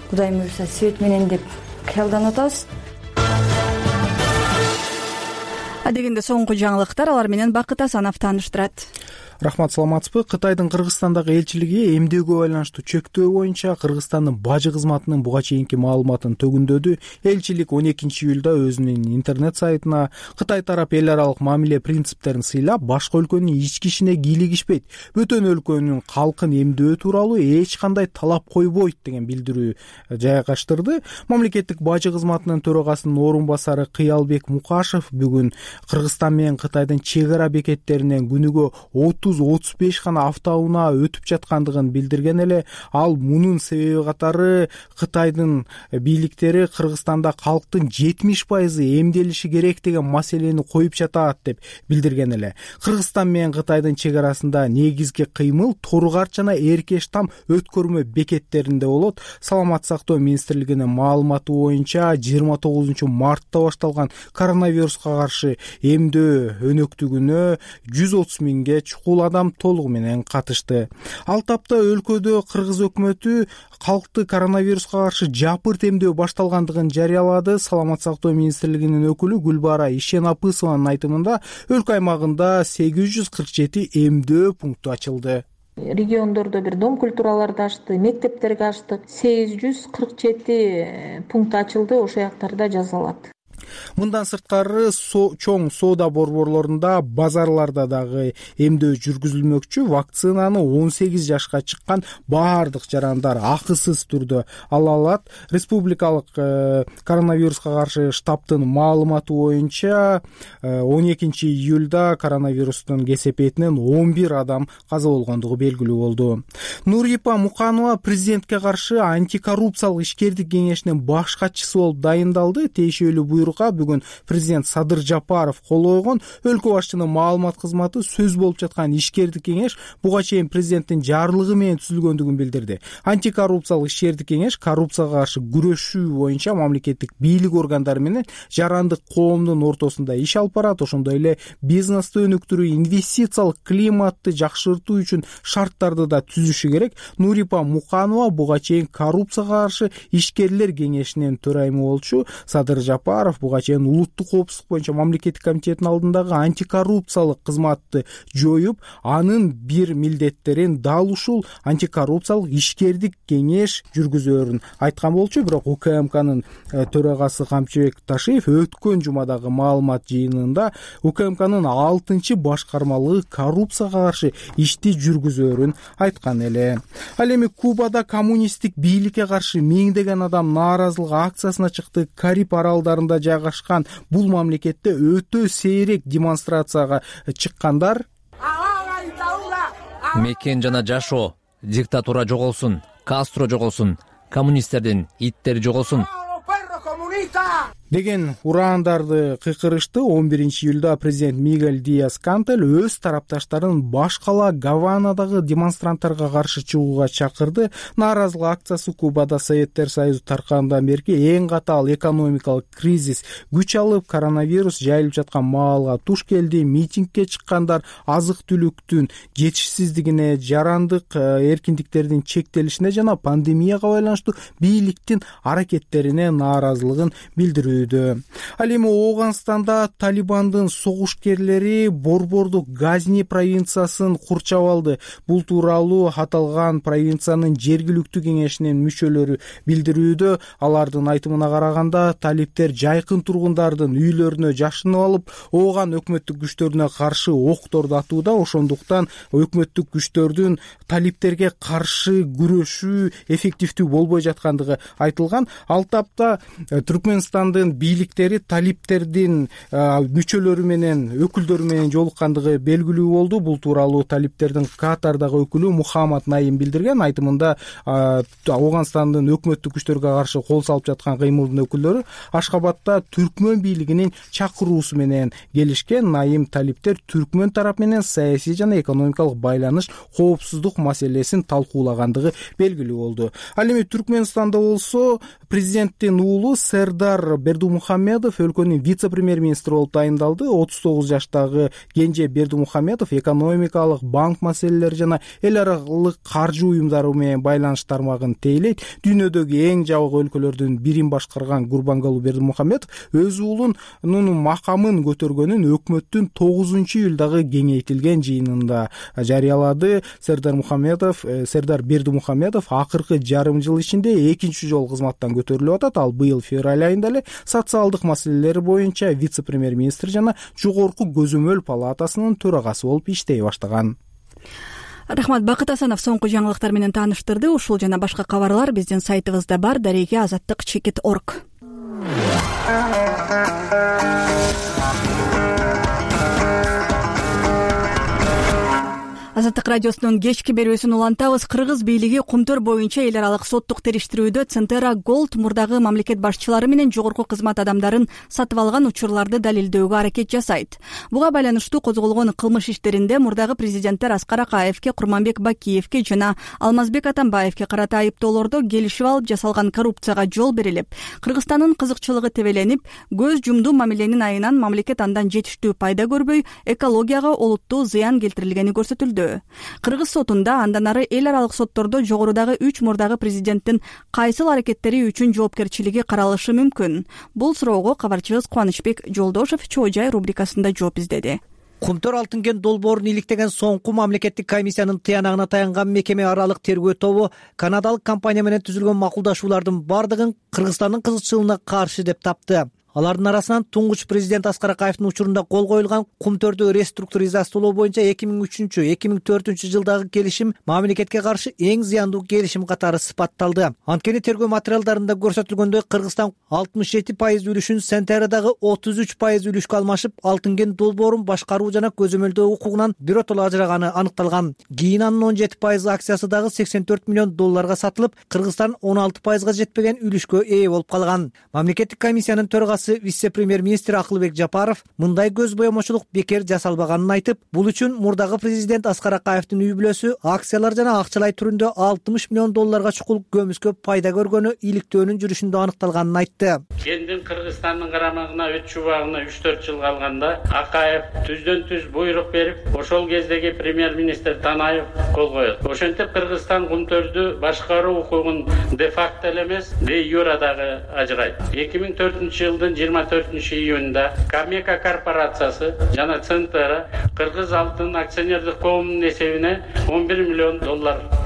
Кудайым буюрса свет менен деп кыялданып атабыз. Адегенде соңку жаңылыктар, алар менен Бакыт Асанов тааныштырат. Рахмат, саламатсызбы? Кытайдын Кыргызстандагы элчилиги эмдөөгө байланыштуу чектөө боюнча Кыргызстандын бажы кызматынын буга чейинки маалыматын төгүндөдү. Элчилик 12-июлда өзүнүн интернет сайтына Кытай тарап эл аралык мамиле принциптерин сыйлап, башка өлкөнүн ички ишине кийлигишпейт, бөтөн өлкөнүн калкын эмдөө тууралуу эч кандай талап койбойт деген билдирүү жайгаштырды. Мамлекеттик бажы кызматынын төрагасынын орун басары Кыялбек Мукашев бүгүн Кыргызстан менен Кытайдын чек ара бекеттеринен күнүгө 30-35 гана автоунаа өтүп жаткандыгын билдирген эле, ал мунун себеби катары Кытайдын бийликтери Кыргызстанда калктын 70% эмделиши керек деген маселени коюп жатат деп билдирген эле. Кыргызстан менен Кытайдын чек арасында негизги кыймыл Торгарч жана Эркеш там өткөрмө бекеттеринде болот. Саламаттык сактоо министрлигинин маалыматы боюнча 29 мартта башталган коронавируска каршы эмдөө өнөктүгүнө 130 миңге чукул адам толугу менен катышты. Ал тапта өлкөдө Кыргыз өкмөтү калкты коронавируска каршы жапырт эмдөө башталгандыгын жарыялады. Саламаттык сактоо министрлигинин өкүлү Гүлбара Ишенапысованын айтымында өлкө аймагында 847 эмдөө пункту ачылды. Региондордо бир дом культураларды ачты, мектептерге ачтык. 847 пункт ачылды, ошол жактарда жазалат. Мындан сырткары чоң соода борборлорунда, базарларда дагы эмдөө жүргүзүлмөкчү. Вакцинаны 18 жашка чыккан баардык жарандар акысыз түрдө ала алат. Республикалык коронавируска каршы штабтын маалыматы боюнча 12-июлда коронавирустун кесепетинен 11 адам каза болгондугу белгилүү болду. Нурипа Муканова президентке каршы антикоррупциялык ишкердик кеңешинин баш катчысы болуп дайындалды. Тиешелүү буйрук бүгүн президент Садыр Жапаров кол койгон. Өлкө башчынын маалымат кызматы сөз болуп жаткан ишкердик кеңеш буга чейин президенттин жарлыгы менен түзүлгөндүгүн билдирди. Антикоррупциялык ишкердик кеңеш коррупцияга каршы күрөшүү боюнча мамлекеттик бийлик органдары менен жарандык коомдун ортосунда иш алып барат. Ошондой эле бизнести өнүктүрүү, инвестициялык климатты жакшыртуу үчүн шарттарды да түзүшү керек. Нурипа Муканова буга чейин коррупцияга каршы ишкерлер кеңешинин төрайымы болчу. Садыр Жапаров буга чейин улуттук коопсуздук боюнча мамлекеттик комитеттин алдындагы антикоррупциялык кызматты жоюп, анын бир милдеттерин дал ушул антикоррупциялык ишкердик кеңеш жүргүзөөрүн айткан болчу. Бирок УКМКнын төрагасы Камчыбек Ташиев өткөн жумадагы маалымат жыйынында УКМКнын 6-чы башкармалыгы коррупцияга каршы ишти жүргүзөөрүн айткан эле. Ал эми Кубада коммунисттик бийликке каршы миңдеген адам нааразылык акциясына чыкты. Кариб аралдарында жайгашкан бул мамлекетте өтө сейрек демонстрацияга чыккандар мекен жана жашоо, диктатура жоголсун, Кастро жоголсун, коммунисттердин иттери жоголсун. деген ураандарды кыйкырышты. 11-июлда президент Мигель Диас Кантель өз тарапташтарын баш кала Гаванадагы демонстранттарга каршы чыгууга чакырды. Нааразылык акциясы Кубада Советтер Союзу таркагандан берки эң катаал экономикалык кризис күч алып, коронавирус жайылып жаткан маалга туш келди. Митингге чыккандар азык-түлүктүн жетишсиздигине, жарандык эркиндиктердин чектелишине жана пандемияга байланыштуу бийликтин аракеттерине нааразылыгын билдирүүдө. Ал эми Ооганстанда Талибандын согушкерлери Борбордук Газни провинциясын курчап алды. Бул тууралуу аталган провинциянын жергиликтүү кеңешинин мүчөлөрү билдирүүдө. Алардын айтымына караганда, талиптер жайкын тургундардын үйлөрүнө жашынып алып, Ооган өкмөттүк күчтөрүнө каршы окторду атууда. Ошондуктан өкмөттүк күчтөрдүн талиптерге каршы күрөшүү эффективдүү болбой жаткандыгы айтылган. Ал тапта Түркмөнстандын бийликтери талиптердин мүчөлөрү менен, өкүлдөрү менен жолуккандыгы белгилүү болду. Бул тууралуу талиптердин Катардагы өкүлү Мухаммад Наим билдирген. Айтымында Ооганстандын өкмөттүк күчтөргө каршы кол салып жаткан кыймылдын өкүлдөрү Ашкабадта түркмөн бийлигинин чакыруусу менен келишкен. Наим талиптер түркмөн тарап менен саясий жана экономикалык байланыш, коопсуздук маселесин талкуулагандыгы белгилүү болду. Ал эми Түркмөнстанда болсо президенттин уулу Сердар Бердумухамедов өлкөнүн вице-премьер-министри болуп тайындалды. 39 жаштагы Кенже Бердумухамедов экономикалык, банк маселелери жана эл аралык каржы уюмдары менен байланыш тармагын тейлейт. Дүйнөдөгү эң жабык өлкөлөрдүн бирин башкарган Гурбангулы Бердумухамедов өз уулунун макамын көтөргөнүн өкмөттүн 9-июлдагы кеңейтилген жыйынында жарыялады. Сердар Бердумухамедов акыркы жарым жыл ичинде экинчи жолу кызматтан көтөрүлүп атат. Ал быйыл февраль айында эле социалдык маселелер боюнча вице-премьер-министр жана Жогорку көзөмөл палатасынын төрагасы болуп иштей баштаган. Рахмат. Бакыт Асанов соңку жаңылыктар менен тааныштырды. Ушул жана башка кабарлар биздин сайтыбызда бар. Дареге azаттык.org. Азаттык радиосунун кечки берүүсүн улантабыз. Кыргыз бийлиги Кумтөр боюнча эл аралык соттук териштирүүдө Центера Голд мурдагы мамлекет башчылары менен жогорку кызмат адамдарын сатып алган учурларды далилдөөгө аракет жасайт. Буга байланыштуу козголгон кылмыш иштеринде мурдагы президенттер Аскар Акаевке, Курманбек Бакиевке жана Алмазбек Атамбаевке карата айыптоолордо келишип алып жасалган коррупцияга жол берилип, Кыргызстандын кызыкчылыгы тебеленип, көз жумдуу мамиленин айынан мамлекет андан жетиштүү пайда көрбөй, экологияга олуттуу зыян келтирилгени көрсөтүлдү. Кыргыз сотунда андан ары эл аралык соттордо жогорудагы 3 мурдагы президенттин кайсыл аракеттери үчүн жоопкерчилиги каралышы мүмкүн? Бул суроого кабарчыбыз Кубанычбек Жолдошев Чоо жай рубрикасында жооп издеди. Кумтөр алтын кен долбоорун иликтеген соңку мамлекеттик комиссиянын тыянагына таянган мекеме аралык тергөө тобу канадалык компания менен түзүлгөн макулдашуулардын бардыгын Кыргызстандын кызыкчылыгына каршы деп тапты. Алардын арасынан туңгуч президент Аскар Акаевдин учурунда кол коюлган Кумтөрдү реструктуризациялоо боюнча 2003-2004 жылдагы келишим мамлекетке каршы эң зыяндуу келишим катары сыпатталды. Анткени тергөө материалдарында көрсөтүлгөндөй Кыргызстан 67% үлүшүн Сентерадагы 33% үлүшкө алмашып, алтын кен долбоорун башкаруу жана көзөмөлдөө укугунан биротоло ажыраганы аныкталган. Кийин анын 17% акциясы дагы $84 миллион сатылып, Кыргызстан 16%га жетпеген үлүшкө ээ болуп калган. Мамлекеттик комиссиянын төрагасы вице-премьер-министр Акылбек Жапаров мындай көз боемочулук бекер жасалбаганын айтып, бул үчүн мурдагы президент Аскар Акаевдин үй бүлөсү акциялар жана акчалай түрүндө $60 миллион чукул көмүскө пайда көргөнү иликтөөнүн жүрүшүндө аныкталганын айтты. Кендин Кыргызстандын карамагына өт чубагына 3-4 жыл калганда Акаев түздөн түз буйрук берип, ошол кездеги премьер-министр Танаев кол коет. Ошентип Кыргызстан Кумтөрдү башкаруу укугун де факто эле эмес, де юре дагы ажырайт. 2004 жылдын 24 июнда Камека корпорациясы жана Центера Кыргыз алтын акционердик коомунун эсебине $11 миллион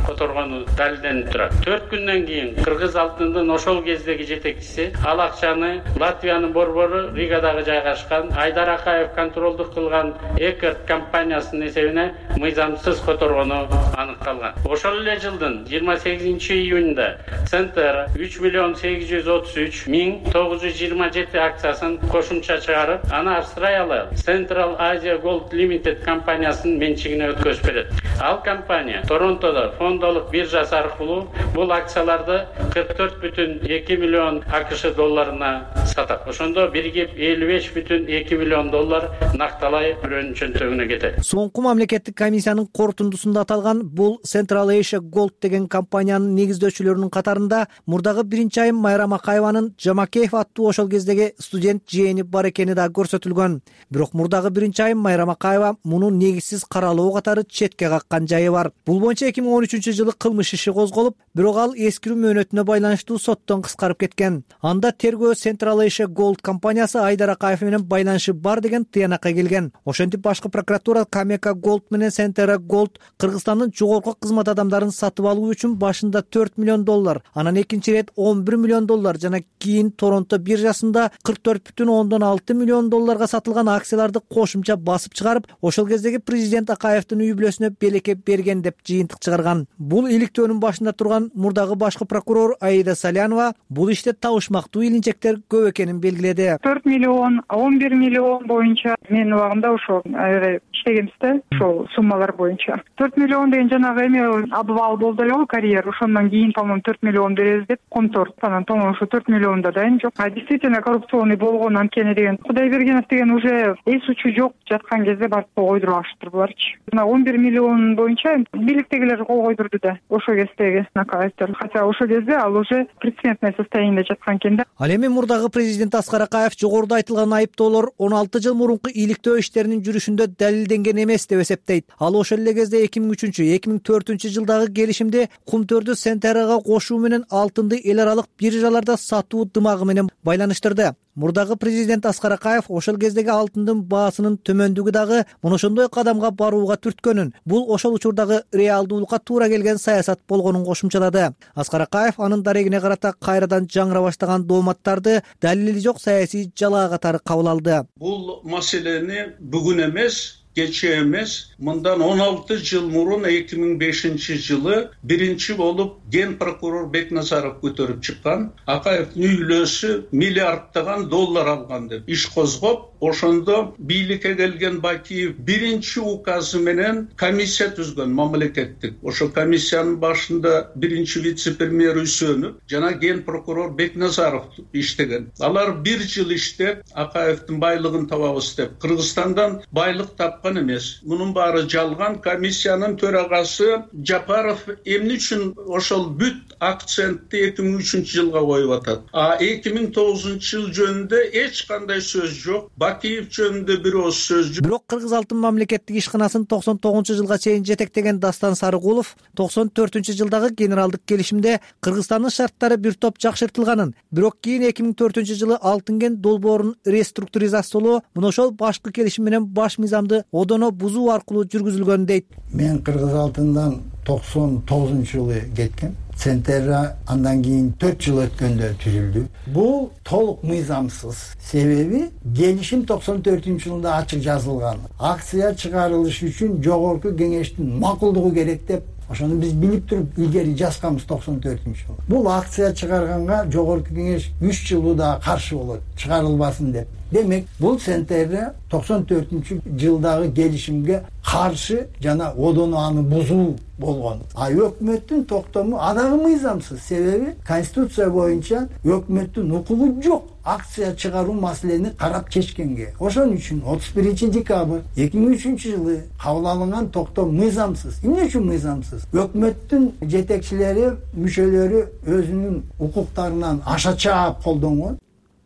которгону далилденип турат. 4 күндөн кийин Кыргыз алтындын ошол кездеги жетекчиси ал акчаны Латвиянын борбору Ригадагы жайгашкан Айдар Акаев контролдук кылган Экерт компаниясынын эсебине мыйзамсыз которгону аныкталган. Ошол эле жылдын 28 июнда Центера 3,833,927 акциясын кошумча чыгарып, аны Австралиялык Central Asia Gold Limited компаниясынын менчигине өткөзүп берет. Ал компания Торонтодо фондолук биржасы аркылуу бул акцияларды 44,2 миллион АКШ долларына сатат. Ошондо биригип 55,2 миллион доллар накталай бирөөнүн чөнтөгүнө кетет. Соңку мамлекеттик комиссиянын корутундусунда аталган бул Central Asia Gold деген компаниянын негиздөөчүлөрүнүн катарында мурдагы биринчи айым Майрам Акаеванын Жамакеев аттуу ошол кездеги студент жээни бар экени да көрсөтүлгөн. Бирок мурдагы биринчи айым Майрам Акаева муну негизсиз каралоо катары четке каккан жайы бар. Бул боюнча 2013-жылы кылмыш иши козголуп, бирок ал эскирүү мөөнөтүнө байланыштуу соттон кыскарып кеткен. Анда тергөө Central Asia Gold компаниясы Айдар Акаев менен байланышы бар деген тыянакка келген. Ошентип башкы прокуратура Камека Gold менен Centera Gold Кыргызстандын жогорку кызмат адамдарын сатып алуу үчүн башында 4 миллион доллар, анан экинчи ирет 11 миллион доллар жана кийин Торонто биржасында 44,6 миллион долларга сатылган акцияларды кошумча басып чыгарып, ошол кездеги президент Акаевдин үй бүлөсүнө белекке берген деп жыйынтык чыгарган. Бул иликтөөнүн башында турган мурдагы башкы прокурор Аида Салянова бул иште табышмактуу илинчектер көп экенин белгиледи. 4 миллион, 11 миллион боюнча менин убагымда ошол иштегенбиз да, ошол суммалар боюнча. 4 миллион деген жанагы эме обвал болду эле го, карьер. Ошондон кийин, по-моему, 4 миллион беребиз деп контор. Анан, по-моему, ошо 4 миллионда да эми жок. Действительно коррупционный болгон анткени деген. Кудайбергенов деген уже эс учу жок жаткан кезде барып кол койдуруп алыштыр буларчы. 11 миллион боюнча бийликтегилер кол койдурду да, ошол кездеги Акаевдер. Хотя ошол кезде ал уже предсмертное состояние жаткан экен да. Ал эми мурдагы президент Аскар Акаев жогоруда айтылган айыптоолор 16 жыл мурунку иликтөө иштеринин жүрүшүндө далилденген эмес деп эсептейт. Ал ошол эле кезде 2003-2004 жылдагы келишимде кумтөрдү Centera'га кошуу менен алтынды эл аралык биржаларда сатуу дымагы менен байланыштырды. Мурдагы президент Аскар Акаев ошол кездеги алтындын баасынын төмөндүгү дагы муну ошондой кадамга барууга түрткөнүн, бул ошол учурдагы реалдуулукка туура келген саясат болгонун кошумчалады. Аскар Акаев анын дарегине карата кайрадан жаңыра баштаган дооматтарды далили жок саясий жалаа катары кабыл алды. Бул маселени бүгүн эмес, кече эмес, мындан 16 жыл мурун 2005 жылы биринчи болуп ген прокурор Бекназаров көтөрүп чыккан. Акаевдин үй бүлөсү миллиарддаган доллар алган деп иш козгоп, ошондо бийликке келген Бакиев биринчи указы менен комиссия түзгөн мамлекеттик. Ошо комиссиянын башында биринчи вице-премьер Үсөнов жана ген прокурор Бекназаров иштеген. Алар бир жыл иштеп, Акаевдин байлыгын табабыз деп Кыргызстандан байлык тапкан эмес. Мунун баары жалган. Комиссиянын төрагасы Жапаров эмне үчүн ошол бүт акцентти 2003 жылга коюп атат. 2009 жыл жөнүндө эч кандай сөз жок. Бакиев жөнүндө бир ооз сөз жок. Бирок Кыргыз алтын мамлекеттик ишканасын 99 жылга чейин жетектеген Дастан Сарыгулов 94 жылдагы генералдык келишимде Кыргызстандын шарттары бир топ жакшыртылганын, бирок кийин 2004 жылы алтын кен долбоорун реструктуризациялоо мына ошол башкы келишим менен баш мыйзамды одоно бузуу аркылуу жүргүзүлгөн дейт. Мен Кыргыз алтындан 99 жылы кеткен. Centera андан кийин 4 жыл өткөндө түзүлдү. Бул толук мыйзамсыз. Себеби келишим 94 жылында ачык жазылган. Акция чыгарылышы үчүн жогорку кеңештин макулдугу керек деп ошону биз билип туруп илгери жазганбыз 94 жыл. Бул акция чыгарганга жогорку кеңеш 3 жылда каршы болот, чыгарылбасын деп. Демек, бул Centera 94 жылдагы келишимге каршы жана одону аны бузуу болгон. Өкмөттүн токтому адагы мыйзамсыз. Себеби конституция боюнча өкмөттүн укугу жок акция чыгаруу маселени карап чечкенге. Ошон үчүн 31 декабрь 2003 жылы кабыл алынган токтом мыйзамсыз. Эмне үчүн мыйзамсыз? Өкмөттүн жетекчилери, мүчөлөрү өзүнүн укуктарынан аша чаап колдонгон.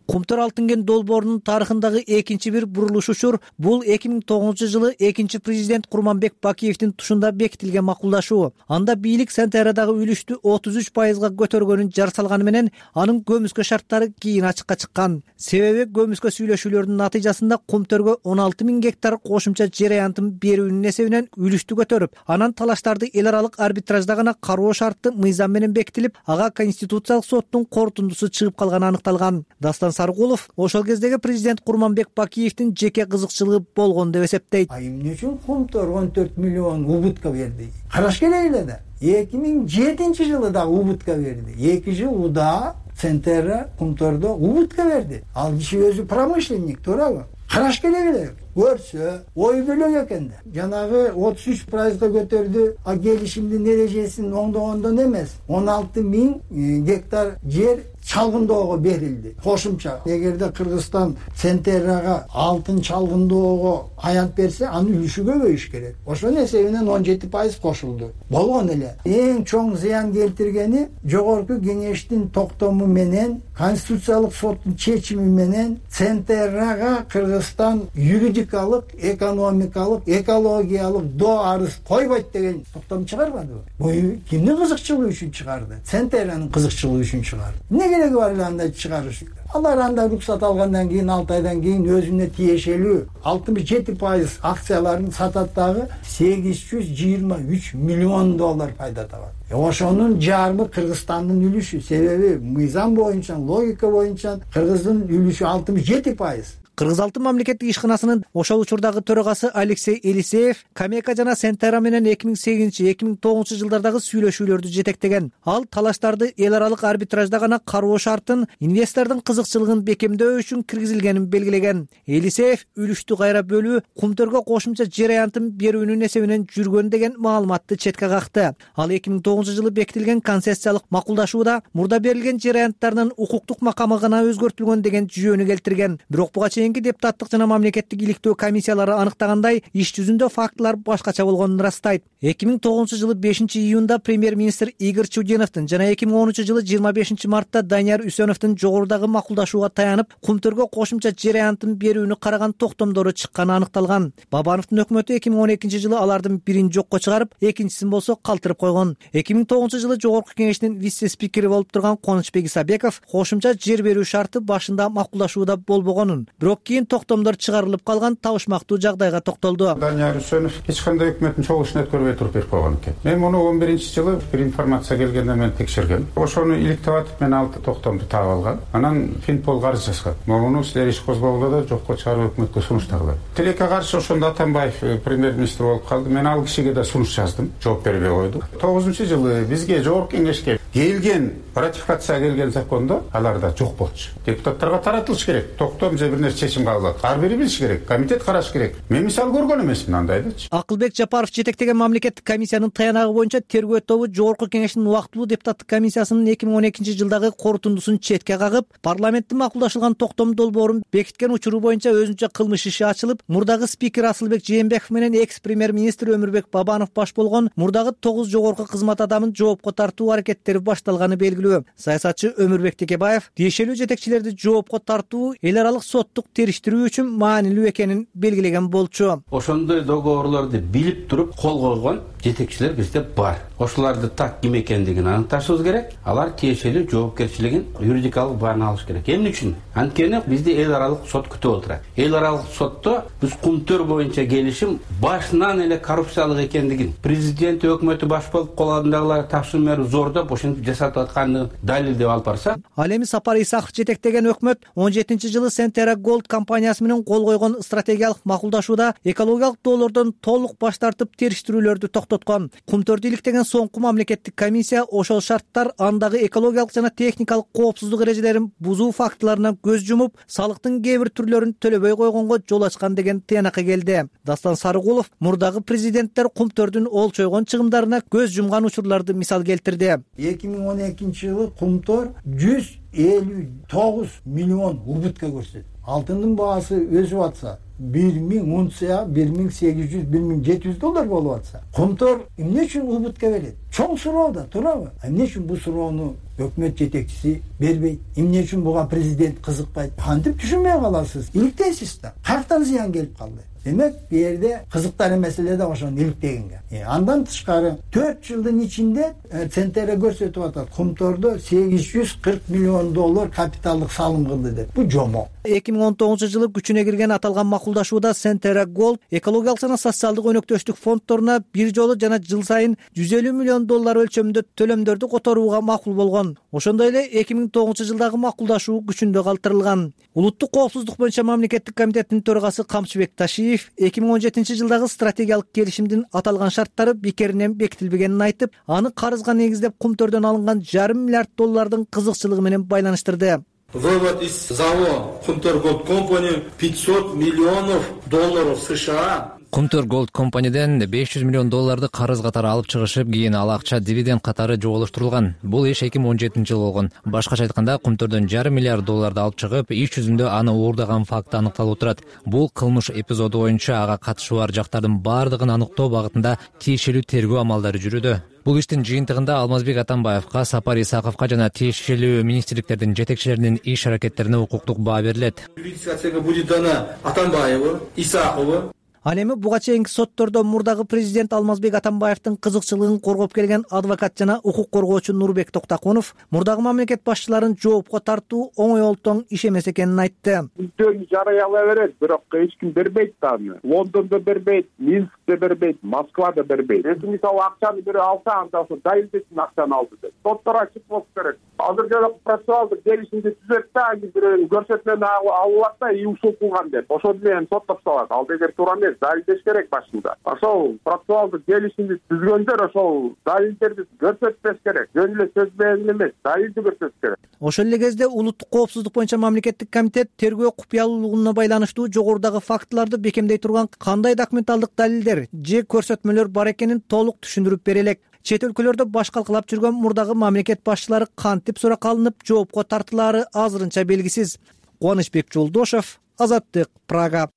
Кумтөр алтын кен долбоорунун тарыхындагы экинчи бир бурулуш учур бул 2009 жылы экинчи президент Курманбек Бакиевдин тушунда бекитилген макулдашуу. Анда бийлик Centera'дагы үлүштү 33%га көтөргөнүн жар салганы менен анын көмүскө шарттары кийин ачыкка чыккан. Себеби көмүскө сүйлөшүүлөрдүн натыйжасында Кумтөргө 16.000 гектар кошумча жер аянтын берүүнүн эсебинен үлүштү көтөрүп, анан талаштарды эл аралык арбитражда гана кароо шарты мыйзам менен бекитилип, ага Конституциялык соттун корутундусу чыгып калганы аныкталган. Дастан Сарыгулов ошол кездеги президент Курманбек Бакиевдин жеке кызыкчылыгы болгон деп эсептейт. Эмне үчүн Кумтөр 14 миллион убытка берди? Караш керек эле да. 2007 жылы да убытка берди. 2 жыл уда Centera Кумтөрдө убытка берди. Ал киши өзү промышленник, туурабы? Караш керек эле. көрсө ой бөлөк экен да. Жанагы 33%га көтөрдү. А келишимдин эрежесин оңдогондон эмес 16.000 гектар жер чалгындоого берилди. Кошумча эгерде Кыргызстан Центеррага алтын чалгындоого аянт берсе, анын үлүшү көбөйүш керек. Ошонун эсебинен 17% кошулду. Болгон эле. Эң чоң зыян келтиргени жогорку кеңештин токтому менен, Конституциялык соттун чечими менен Центеррага Кыргызстан юридикалык, экономикалык, экологиялык доо арыз койбойт деген токтом чыгарбадыбы? Бул кимдин кызыкчылыгы үчүн чыгарды? Центерранын кызыкчылыгы үчүн чыгарды. Кереги бар эле андай чыгарыш. Алар анда руксат алгандан кийин 6 айдан кийин өзүнө тиешелүү 67% акцияларын сатат дагы $823 миллион пайда табат. Ошонун жарымы Кыргызстандын үлүшү. Себеби мыйзам боюнча, логика боюнча Кыргыздын үлүшү 67%. Кыргыз алтын мамлекеттик ишканасынын ошол учурдагы төрагасы Алексей Елисеев Камека жана Сентера менен 2008-2009 жылдардагы сүйлөшүүлөрдү жетектеген. Ал талаштарды эл аралык арбитражда гана кароо шартын инвестордун кызыкчылыгын бекемдөө үчүн киргизилгенин белгилеген. Елисеев үлүштү кайра бөлүү Кумтөргө кошумча жер аянтын берүүнүн эсебинен жүргөн деген маалыматты четке какты. Ал 2009 жылы бекитилген концессиялык макулдашууда мурда берилген жер аянттарынын укуктук макамы гана өзгөртүлгөн деген жүйөнү келтирген. Бирок буга чейин депутаттык жана мамлекеттик иликтөө комиссиялары аныктагандай, иш жүзүндө фактылар башкача болгонун ырастайт. 2009 жылы 5-июнда премьер-министр Игорь Чудиновдун жана 2010 жылы 25 мартта Данияр Үсөновдун жогорудагы макулдашууга таянып, Кумтөргө кошумча жер аянтын берүүнү караган токтомдору чыкканы аныкталган. Бабановдун өкмөтү 2012 жылы алардын бирин жокко чыгарып, экинчисин болсо калтырып койгон. 2009 жылы жогорку кеңештин вице-спикери болуп турган Конучбек Исабеков кошумча жер берүү шарты башында макулдашууда болбогонун, бирок кийин токтомдор чыгарылып калган табышмактуу жагдайга токтолду. Данияр Үсөнов эч кандай өкмөттүн чогуу ишин өткөрбөй туруп берип койгон экен. Мен муну 11 жылы бир информация келгенде мен текшергем. Ошону иликтеп атып мен ал токтомду таап алгам. Анан Финпол карыз жазган. Муну силер иш козгогула да жокко чыгарып өкмөткө сунуштагыла. Тилекке каршы ошондо Атамбаев премьер-министр болуп калды. Мен ал кишиге да сунуш жаздым. Жооп бербей койду. 9-жылы бизге жогорку кеңешке келген ратификация келген закондо аларда жок болчу. Депутаттарга таратылыш керек. Токтом же бир нерсе чечим кабыл алат. Ар бири билиш керек. Комитет караш керек. Мен мисал көргөн эмесмин андайдычы. Акылбек Жапаров жетектеген мамлекеттик комиссиянын таянагы боюнча тергөө тобу жогорку кеңештин убактылуу депутаттык комиссиясынын 2012 жылдагы корутундусун четке кагып, парламентте макулдашылган токтом долбоорун бекиткен учуру боюнча өзүнчө кылмыш иши ачылып, мурдагы спикер Асылбек Жээнбеков менен экс-премьер-министр Өмүрбек Бабанов баш болгон мурдагы 9 жогорку кызмат адамын жоопко тартуу аракеттери башталганы белгилүү. Саясатчы Өмүрбек Текебаев тиешелүү жетекчилерди жоопко тартуу эл аралык соттук териштирүү үчүн маанилүү экенин белгилеген болчу. Ошондой договорлорду билип туруп кол койгон жетекчилер бизде бар. Ошолорду так ким экендигин аныкташыбыз керек. Алар тиешелүү жоопкерчилигин юридикалык баана алыш керек. Эмне үчүн? Анткени бизди эл аралык сот күтүп отурат. Эл аралык сотто биз Кумтөр боюнча келишим башынан эле коррупциялык экендигин, президент өкмөтү баш болуп калгандагылар тапшырма берип зордоп ошентип жасатып атканын далилдеп алып барса. Ал эми Сапар Исаков жетектеген өкмөт 17-жылы Сентера Голд компаниясы менен кол койгон стратегиялык макулдашууда экологиялык доолордон толук баш тартып териштирүүлөрдү токтоткон. Кумтөрдү иликтеген соңку мамлекеттик комиссия ошол шарттар андагы экологиялык жана техникалык коопсуздук эрежелерин бузуу фактыларына көз жумуп, салыктын кээ бир түрлөрүн төлөбөй койгонго жол ачкан деген тыянакка келди. Дастан Сарыгулов мурдагы президенттер Кумтөрдүн олчойгон чыгымдарына көз жумган учурларды мисал келтирди. 2012 жылы Кумтөр 159 миллион убытка көрсөттү. Алтындын баасы өсүп атса, 1000 унция $1800-1700 болуп атса, Кумтөр эмне үчүн убытка берет? Чоң суроо да, туурабы? Эмне үчүн бул суроону өкмөт жетекчиси бербейт? Эмне үчүн буга президент кызыкпайт? Кантип түшүнбөй каласыз? Иликтейсиз да. Каяктан зыян келип калды? Демек, бу жерде кызыктар маселе да ошону иликтегенге. Андан тышкары 4 жылдын ичинде Центера көрсөтүп атат. Кумтөрдө $840 миллион капиталдык салым кылды деп. Бу жомок. 2019 жылы күчүнө кирген аталган макулдашууда Сентера Голд экологиялык жана социалдык өнөктөштүк фонддоруна бир жолу жана жыл сайын $150 миллион өлчөмүндө төлөмдөрдү которууга макул болгон. Ошондой эле 2009 жылдагы макулдашуу күчүндө калтырылган. Улуттук коопсуздук боюнча мамлекеттик комитеттин төрагасы Камчыбек Ташиев 2017 жылдагы стратегиялык келишимдин аталган шарттары бекеринен бекитилбегенин айтып, аны карызга негиздеп Кумтөрдөн алынган $500 миллион кызыкчылыгы менен байланыштырды. Вывод из ЗАО Кумтөр Голд Компани $500 миллионов США. Кумтөр Голд компаниден $500 миллион карыз катары алып чыгышып, кийин ал акча дивиденд катары жоголуштурулган. Бул иш 2017 болгон. Башкача айтканда, Кумтөрдөн $500 миллиард алып чыгып, иш жүзүндө аны уурдаган факты аныкталып турат. Бул кылмыш эпизоду боюнча ага катышы бар жактардын бардыгын аныктоо багытында тиешелүү тергөө амалдары жүрүүдө. Бул иштин жыйынтыгында Алмазбек Атамбаевка, Сапар Исаковго жана тиешелүү министрликтердин жетекчилеринин иш аракеттерине укуктук баа берилет. Юридическая оценка будет дана Атамбаеву, Исакову. Ал эми буга чейинки соттордо мурдагы президент Алмазбек Атамбаевдин кызыкчылыгын коргоп келген адвокат жана укук коргоочу Нурбек Токтакунов мурдагы мамлекет башчыларын жоопко тартуу оңой олтоң иш эмес экенин айтты. Өздөрү жарыялай берет, бирок эч ким бербейт аны. Лондондо бербейт, Минскте бербейт, Москвада бербейт. Мисалы акчаны бири алса, анда ошо далилдесин акчаны алды деп. Соттор ачык болуш керек. Азыр жана процессуалдык келишимди түзөт да, бирөөнүн көрсөтмөнү алат да, ушул кылган деп. Ошол менен соттоп салат. Ал деген туура эмес. Далилдеш керек башында. Ошол процессуалдык келишимди түзгөндөр ошол далилдерди көрсөтпөш керек. Жөн эле сөз менен эмес, далилди көрсөтүш керек. Ошол эле кезде улуттук коопсуздук боюнча мамлекеттик комитет тергөө купуялуулугуна байланыштуу жогорудагы фактыларды бекемдей турган кандай документалдык далилдер же көрсөтмөлөр бар экенин толук түшүндүрүп бере элек. Чет өлкөлөрдө баш калкалап жүргөн мурдагы мамлекет башчылары кантип суракка алынып, жоопко тартылаары азырынча белгисиз. Кубанычбек Жолдошов, Азаттык, Прага.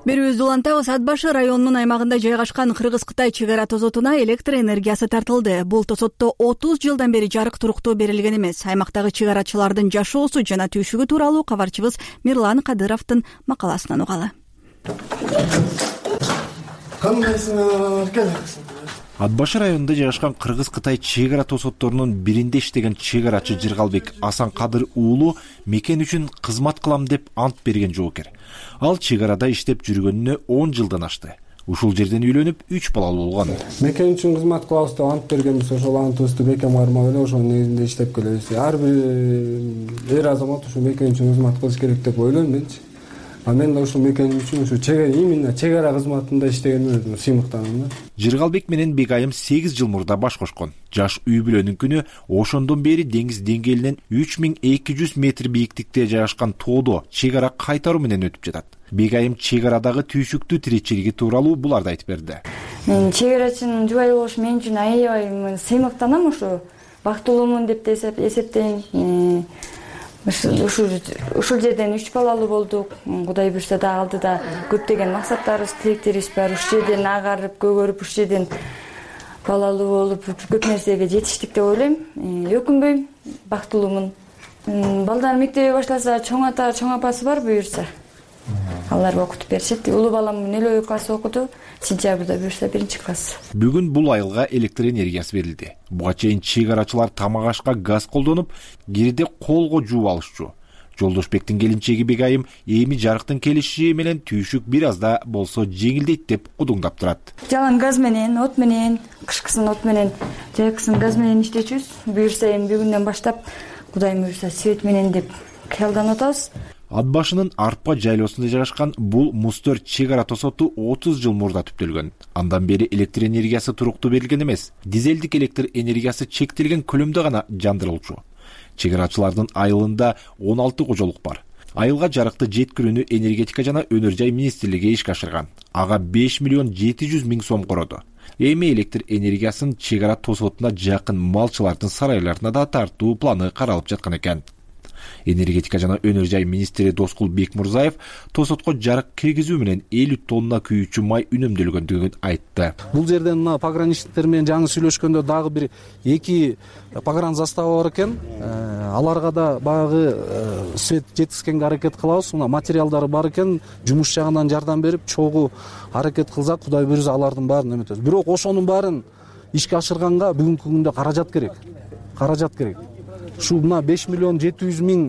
Берүүбүздү улантабыз. Ат башы районунун аймагында жайгашкан Кыргыз-Кытай чек ара тосотуна электр энергиясы тартылды. Бул тосотто 30 жылдан бери жарык туруктуу берилген эмес. Аймактагы чек арачылардын жашоосу жана түйшүгү тууралуу кабарчыбыз Мирлан Кадыровдун макаласынан угалы. Ат башы районунда жайгашкан Кыргыз-Кытай чек ара тосотторунун биринде иштеген чек арачы Жыргалбек Асанкадыр уулу мекен үчүн кызмат кылам деп ант берген жоокер. Ал чек арада иштеп жүргөнүнө 10 жылдан ашты. Ушул жерден үйлөнүп 3 балалуу болгон. Мекен үчүн кызмат кылабыз деп ант бергенбиз, ошол антыбызды бекем кармап эле ошонун негизинде иштеп келебиз. Ар бир эр азамат ушул мекен үчүн кызмат кылыш керек деп ойлойм менчи. Мен да ушул мекен үчүн ушу именно чек ара кызматында иштегениме сыймыктанам да. Жыргалбек менен Бегайым 8 жыл мурда баш кошкон. Жаш үй бүлөнүн күнү ошондон бери деңиз деңгээлинен 3200 метр бийиктикте жайгашкан тоодо чек ара кайтаруу менен өтүп жатат. Бегайым чек арадагы түйшүктүү тиричилиги тууралуу буларды айтып берди. Мен чек арачынын жубайы болуш мен үчүн аябай сыймыктанам, ушу бактылуумун деп эсептейм. Ушул жерден 3 балалуу болдук. Кудай буйрса да алдыда көптөгөн максаттарыбыз, тилектерибиз бар. Ушул жерден агарып, көгөрүп, ушул жерден балалуу болуп, көп нерсеге жетиштик деп ойлойм. Өкүнбөйм, бактылуумун. Балдар мектепке башласа, чоң ата, чоң апасы бар буйрса. Алар окутуп беришет. Улуу балам 0 класс окуду. Сентябрда буйрса 1-класс. Бүгүн бул айылга электр энергиясы берилди. Буга чейин чек арачылар тамак ашка газ колдонуп, кирде колго жууп алышчу. Жолдошбектин келинчеги Бегайым эми жарыктын келиши менен түйшүк бир аз да болсо жеңилдейт деп кудуңдап турат. Жалаң газ менен, от менен, кышкысын от менен, жайкысын газ менен иштечүбүз. Буйрса эми бүгүндөн баштап Кудайым буйрса свет менен деп кыялданып атабыз. Ат башынын арпа жайлоосунда жайгашкан бул мустөр чек ара тосоту 30 жыл мурда түптөлгөн. Андан бери электр энергиясы туруктуу берилген эмес. Дизелдик электр энергиясы чектелген көлөмдө гана жандырылчу. Чек арачылардын айылында 16 кожолук бар. Айылга жарыкты жеткирүүнү энергетика жана өнөр жай министрлиги ишке ашырган. Ага 5 миллион 700 миң сом короду. Эми электр энергиясын чек ара тосотуна жакын малчылардын сарайларына да тартуу планы каралып жаткан экен. Энергетика жана өнөр жай министри Доскул Бекмурзаев тосотко жарык киргизүү менен 50 тонна күйүүчү май үнөмдөлгөндүгүн айтты. Бул жерден мына пограничниктер менен жаңы сүйлөшкөндө дагы бир 2 погран застава бар экен. Аларга да багы свет жеткизгенге аракет кылабыз. Мына материалдары бар экен. Жумуш жагынан жардам берип, чогуу аракет кылсак, Кудай буйрса алардын баарын эметебиз. Бирок ошонун баарын ишке ашырганга бүгүнкү күндө каражат керек. Ушул мына 5 миллион 700 миң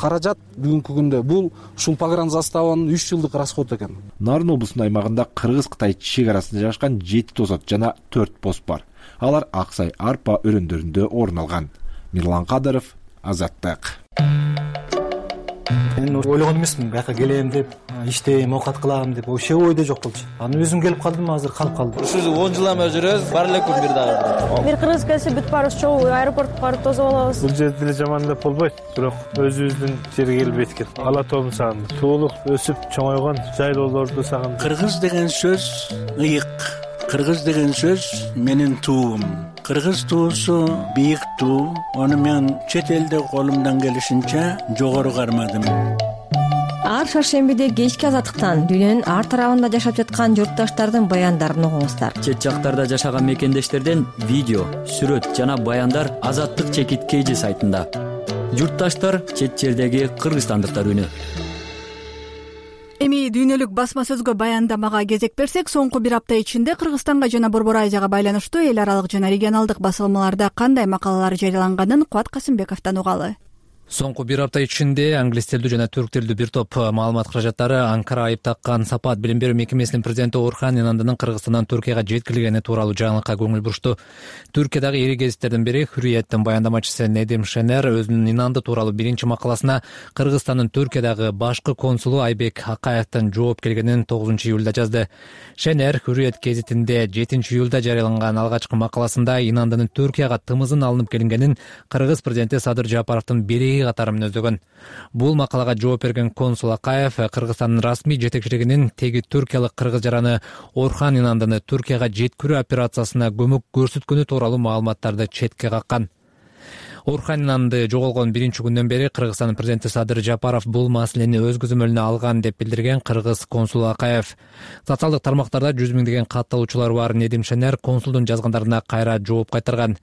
каражат бүгүнкү күндө бул ушул погран заставанын 3 жылдык расходу экен. Нарын облусунун аймагында Кыргыз-Кытай чек арасында жайгашкан 7 тосот жана 4 пост бар. Алар Аксай арпа өрөндөрүндө орун алган. Мирлан Кадыров, Азаттык. Мен ойлогон эмесмин бияка келем деп, иштейм, оокат кылам деп, вообще ойдо жок болчу. Анан өзүм келип калдым, азыр калып калдым. Ушул 10 жылдан бери жүрөбүз, бар эле күн бир дагы. Бир кыргыз келсе бүт баарыбыз чогуу аэропортко барып тосуп алабыз. Бул жерде деле жамандап болбойт, бирок өзүбүздүн жерге келбейт экен. Ала тообун сагындым. Туулук, өсүп чоңойгон жайлоолорду сагындым. Кыргыз деген сөз ыйык. Кыргыз деген сөз менин туум. Кыргыз туусу бийик туу. Аны мен чет элде колумдан келишинче жогору кармадым. Ар шаршембиде кечки азаттыктан дүйнөнүн ар тарабында жашап жаткан журтташтардын баяндарын угуңуздар. Чет жактарда жашаган мекендештерден видео, сүрөт жана баяндар Азаттык чекит KG сайтында. Журтташтар чет жердеги кыргызстандыктар үнү. Эми дүйнөлүк басма сөзгө баяндамага кезек берсек, соңку бир апта ичинде Кыргызстанга жана Борбор Азияга байланыштуу эл аралык жана регионалдык басылмаларда кандай макалалар жарыяланганын Кубат Касымбековдон угалы. Соңку бир апта ичинде англис тилдүү жана түрк тилдүү бир топ маалымат каражаттары Анкара айып таккан Сапат билим берүү мекемесинин президенти Орхан Инандынын Кыргызстандан Түркияга жеткирилгени тууралуу жаңылыкка көңүл бурушту. Түркиядагы ири гезиттердин бири Hürriyet'тин баяндамачысы Недим Шенер өзүнүн Инанды тууралуу биринчи макаласына Кыргызстандын Түркиядагы башкы консулу Айбек Акаевдин жооп келгенин 9 июлда жазды. Шенер Hürriyet гезитинде 7 июлда жарыяланган алгачкы макаласында Инандынын Түркияга тымызын алынып келингенин Кыргыз президенти Садыр Жапаровдун бери катары мүнөздөгөн. Бул макалага жооп берген консул Акаев Кыргызстандын расмий жетекчилигинин теги түркиялык кыргыз жараны Орхан Инандыны Түркияга жеткирүү операциясына көмөк көрсөткөнү тууралуу маалыматтарды четке каккан. Орхан Инанды жоголгон биринчи күндөн бери Кыргызстандын президенти Садыр Жапаров бул маселени өз көзөмөлүнө алган деп билдирген кыргыз консулу Акаев. Социалдык тармактарда 100 миңдеген кат алуучулар бар Недим Шенер консулдун жазгандарына кайра жооп кайтарган.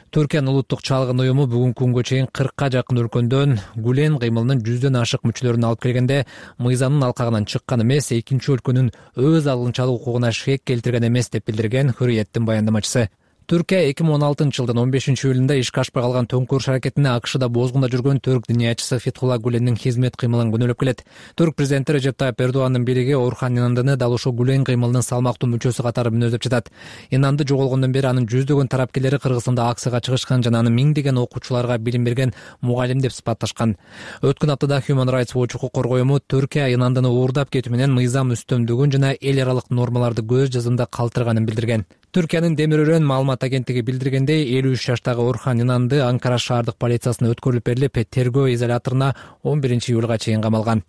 Түркиянын улуттук чалгын уюму бүгүнкү күнгө чейин 40ка жакын өлкөдөн Гүлен кыймылынын 100дөн ашык мүчөлөрүн алып келгенде, мыйзамдын алкагынан чыккан эмес, экинчи өлкөнүн өз алынчалык укугуна шек келтирген эмес деп билдирген Hürriyet'тин баяндамачысы. Түркия 2016 жылдын 15 июлунда ишке ашпай калган төңкөрүш аракетине АКШда бозгунда жүргөн түрк динячысы Фетхулла Гүлендин хизмет кыймылын күнөөлөп келет. Түрк президенти Режеп Тайып Эрдогандын бириги Орхан Инандыны дал ушул Гүлен кыймылынын салмактуу мүчөсү катары мүнөздөп жатат. Инанды жоголгондон бери анын жүздөгөн тарапкерлери Кыргызстанда акцияга чыгышкан жана аны миңдеген окуучуларга билим берген мугалим деп сыпатташкан. Өткөн аптада Human Rights Watch укук коргоо уюму Түркия Инандыны уурдап кетүү менен мыйзам үстөмдүгүн жана эл аралык нормаларды көз жазымда калтырганын билдирген. Түркиянын Демир Өрөн маалымат агенттиги билдиргендей, 53 жаштагы Орхан Инанды Анкара шаардык полициясына өткөрүлүп берилип, тергөө изоляторуна 11 июлга чейин камалган.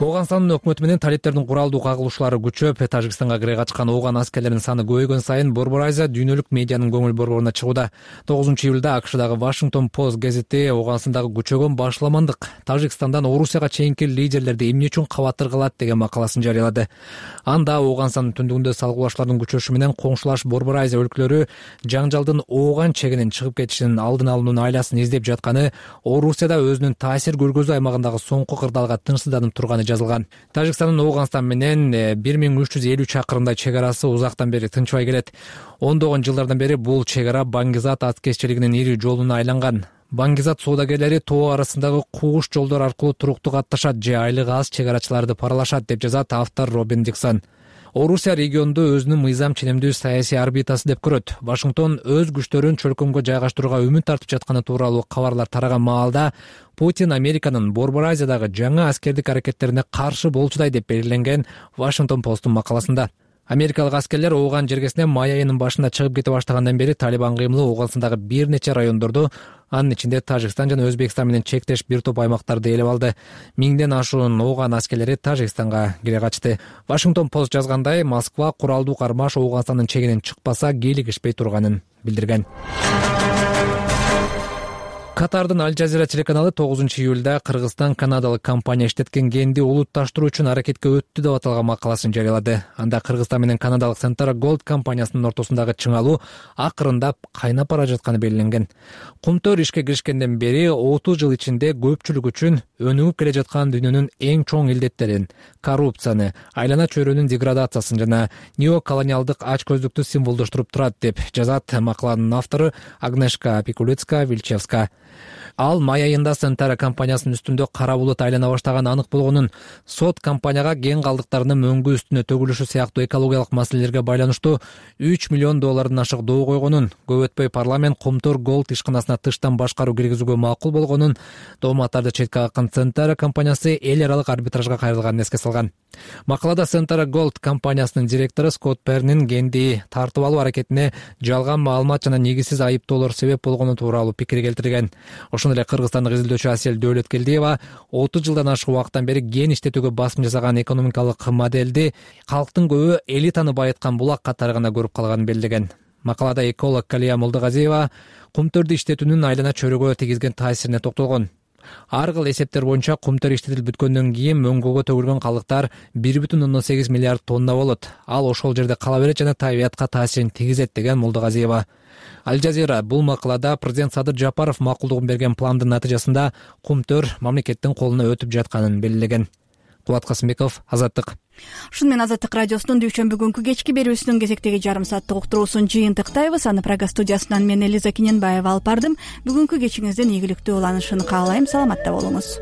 Ооганстандын өкмөтү менен талиптердин куралдуу кагылышуулары күчөп, Тажикстанга кире качкан ооган аскерлердин саны көбөйгөн сайын Борбор Азия дүйнөлүк медианын көңүл борборуна чыгууда. 9 июлда АКШдагы Washington Post гезити Ооганстандагы күчөгөн башламандык Тажикстандан Орусияга чейинки лидерлерди эмне үчүн кабаттыргылат деген макаласын жарыялады. Анда Ооганстандын түндүгүндө салгылашуулардын күчөшү менен коңшулаш Борбор Азия өлкөлөрү жаңжалдын ооган чегинин чыгып кетишинин алдын алуунун айласын издеп жатканы, Орусияда өзүнүн таасир көргөзүү аймагындагы соңку кырдаалга тынчсызданып турганы жазылган. Тажикстандын Ооганстан менен 1350 чакырымдай чек арасы узактан бери тынчбай келет. Ондогон жылдардан бери бул чек ара Баңгизат аткезчилигинин ири жолуна айланган. Баңгизат соодагерлери тоо арасындагы куугуш жолдор аркылуу туруктуу катташат же айлыгы аз чек арачыларды паралашат деп жазат автор Робин Диксон. Орусия регионду өзүнүн мыйзам ченемдүү саясий орбитасы деп көрөт. Вашингтон өз күчтөрүн чөлкөмгө жайгаштырууга үмүт тартып жатканы тууралуу кабарлар тараган маалда Путин Американын Борбор Азиядагы жаңы аскердик аракеттерине каршы болчудай деп белгиленген Washington Post'ун макаласында. Америкалык аскерлер ооган жергесине май айынын башында чыгып кете баштагандан бери Талибан кыймылы Ооганстандагы бир нече райондорду, анын ичинде Тажикстан жана Өзбекстан менен чектеш бир топ аймактарды ээлеп алды. 1000ден ашуун ооган аскерлери Тажикстанга кире качты. Washington Post жазгандай, Москва куралдуу кармаш Ооганстандын чегинен чыкпаса кийлигишпей турганын билдирген. Катардын Аль Жазира телеканалы 9 июлда Кыргызстан канадалык компания иштеткен генди улутташтыруу үчүн аракетке өттү деп аталган макаласын жарыялады. Анда Кыргызстан менен канадалык Centara Gold компаниясынын ортосундагы чыңалуу акырындап кайнап бара жатканы белгиленген. Кумтөр ишке киришкенден бери 30 жыл ичинде көпчүлүк үчүн өнүгүп келе жаткан дүйнөнүн эң чоң илдеттерин, коррупцияны, айлана чөйрөнүн деградациясын жана неоколониалдык ачкөздүктү символдоштуруп турат деп жазат макаланын автору Агнешка Пикулицка-Вильчевска. Ал май айында Сентара компаниясынын үстүндө кара булут айлана баштаганы анык болгонун, сот компанияга кен калдыктарынын мөңгү үстүнө төгүлүшү сыяктуу экологиялык маселелерге байланыштуу $3 миллион ашык доо койгонун, көп өтпөй парламент Кумтөр Голд ишканасына тыштан башкаруу киргизүүгө макул болгонун, дооматтарды четке каккан Сентара компаниясы эл аралык арбитражга кайрылганын эске салган. Макалада Сентара Голд компаниясынын директору Скотт Пернин кенди тартып алуу аракетине жалган маалымат жана негизсиз айыптоолор себеп болгону тууралуу пикир келтирген. Ошондой эле кыргызстандык изилдөөчү Асель Дөөлөткелдиева 30 жылдан ашык убакыттан бери кен иштетүүгө басым жасаган экономикалык моделди калктын көбү элитаны байыткан булак катары гана көрүп калганын белгилеген. Макалада эколог Калия Молдогазиева кумтөрдү иштетүүнүн айлана чөйрөгө тийгизген таасирине токтолгон. Ар кыл эсептер боюнча кумтөр иштетилип бүткөндөн кийин мөңгөгө төгүлгөн калдыктар 1,8 миллиард тонна болот. Ал ошол жерде кала берет жана табиятка таасирин тийгизет деген Молдогазиева. Аль Жазира бул макалада президент Садыр Жапаров макулдугун берген пландын натыйжасында кумтөр мамлекеттин колуна өтүп жатканын белгилеген. Кубат Касымбеков, Азаттык. Ушуну менен Азаттык радиосунун дүйшөмбү күнкү кечки берүүсүнүн кезектеги жарым сааттык уктуруусун жыйынтыктайбыз. Аны Прага студиясынан мен Элиза Киненбаева алып бардым. Бүгүнкү кечиңиздин ийгиликтүү уланышын каалайм. Саламатта болуңуз.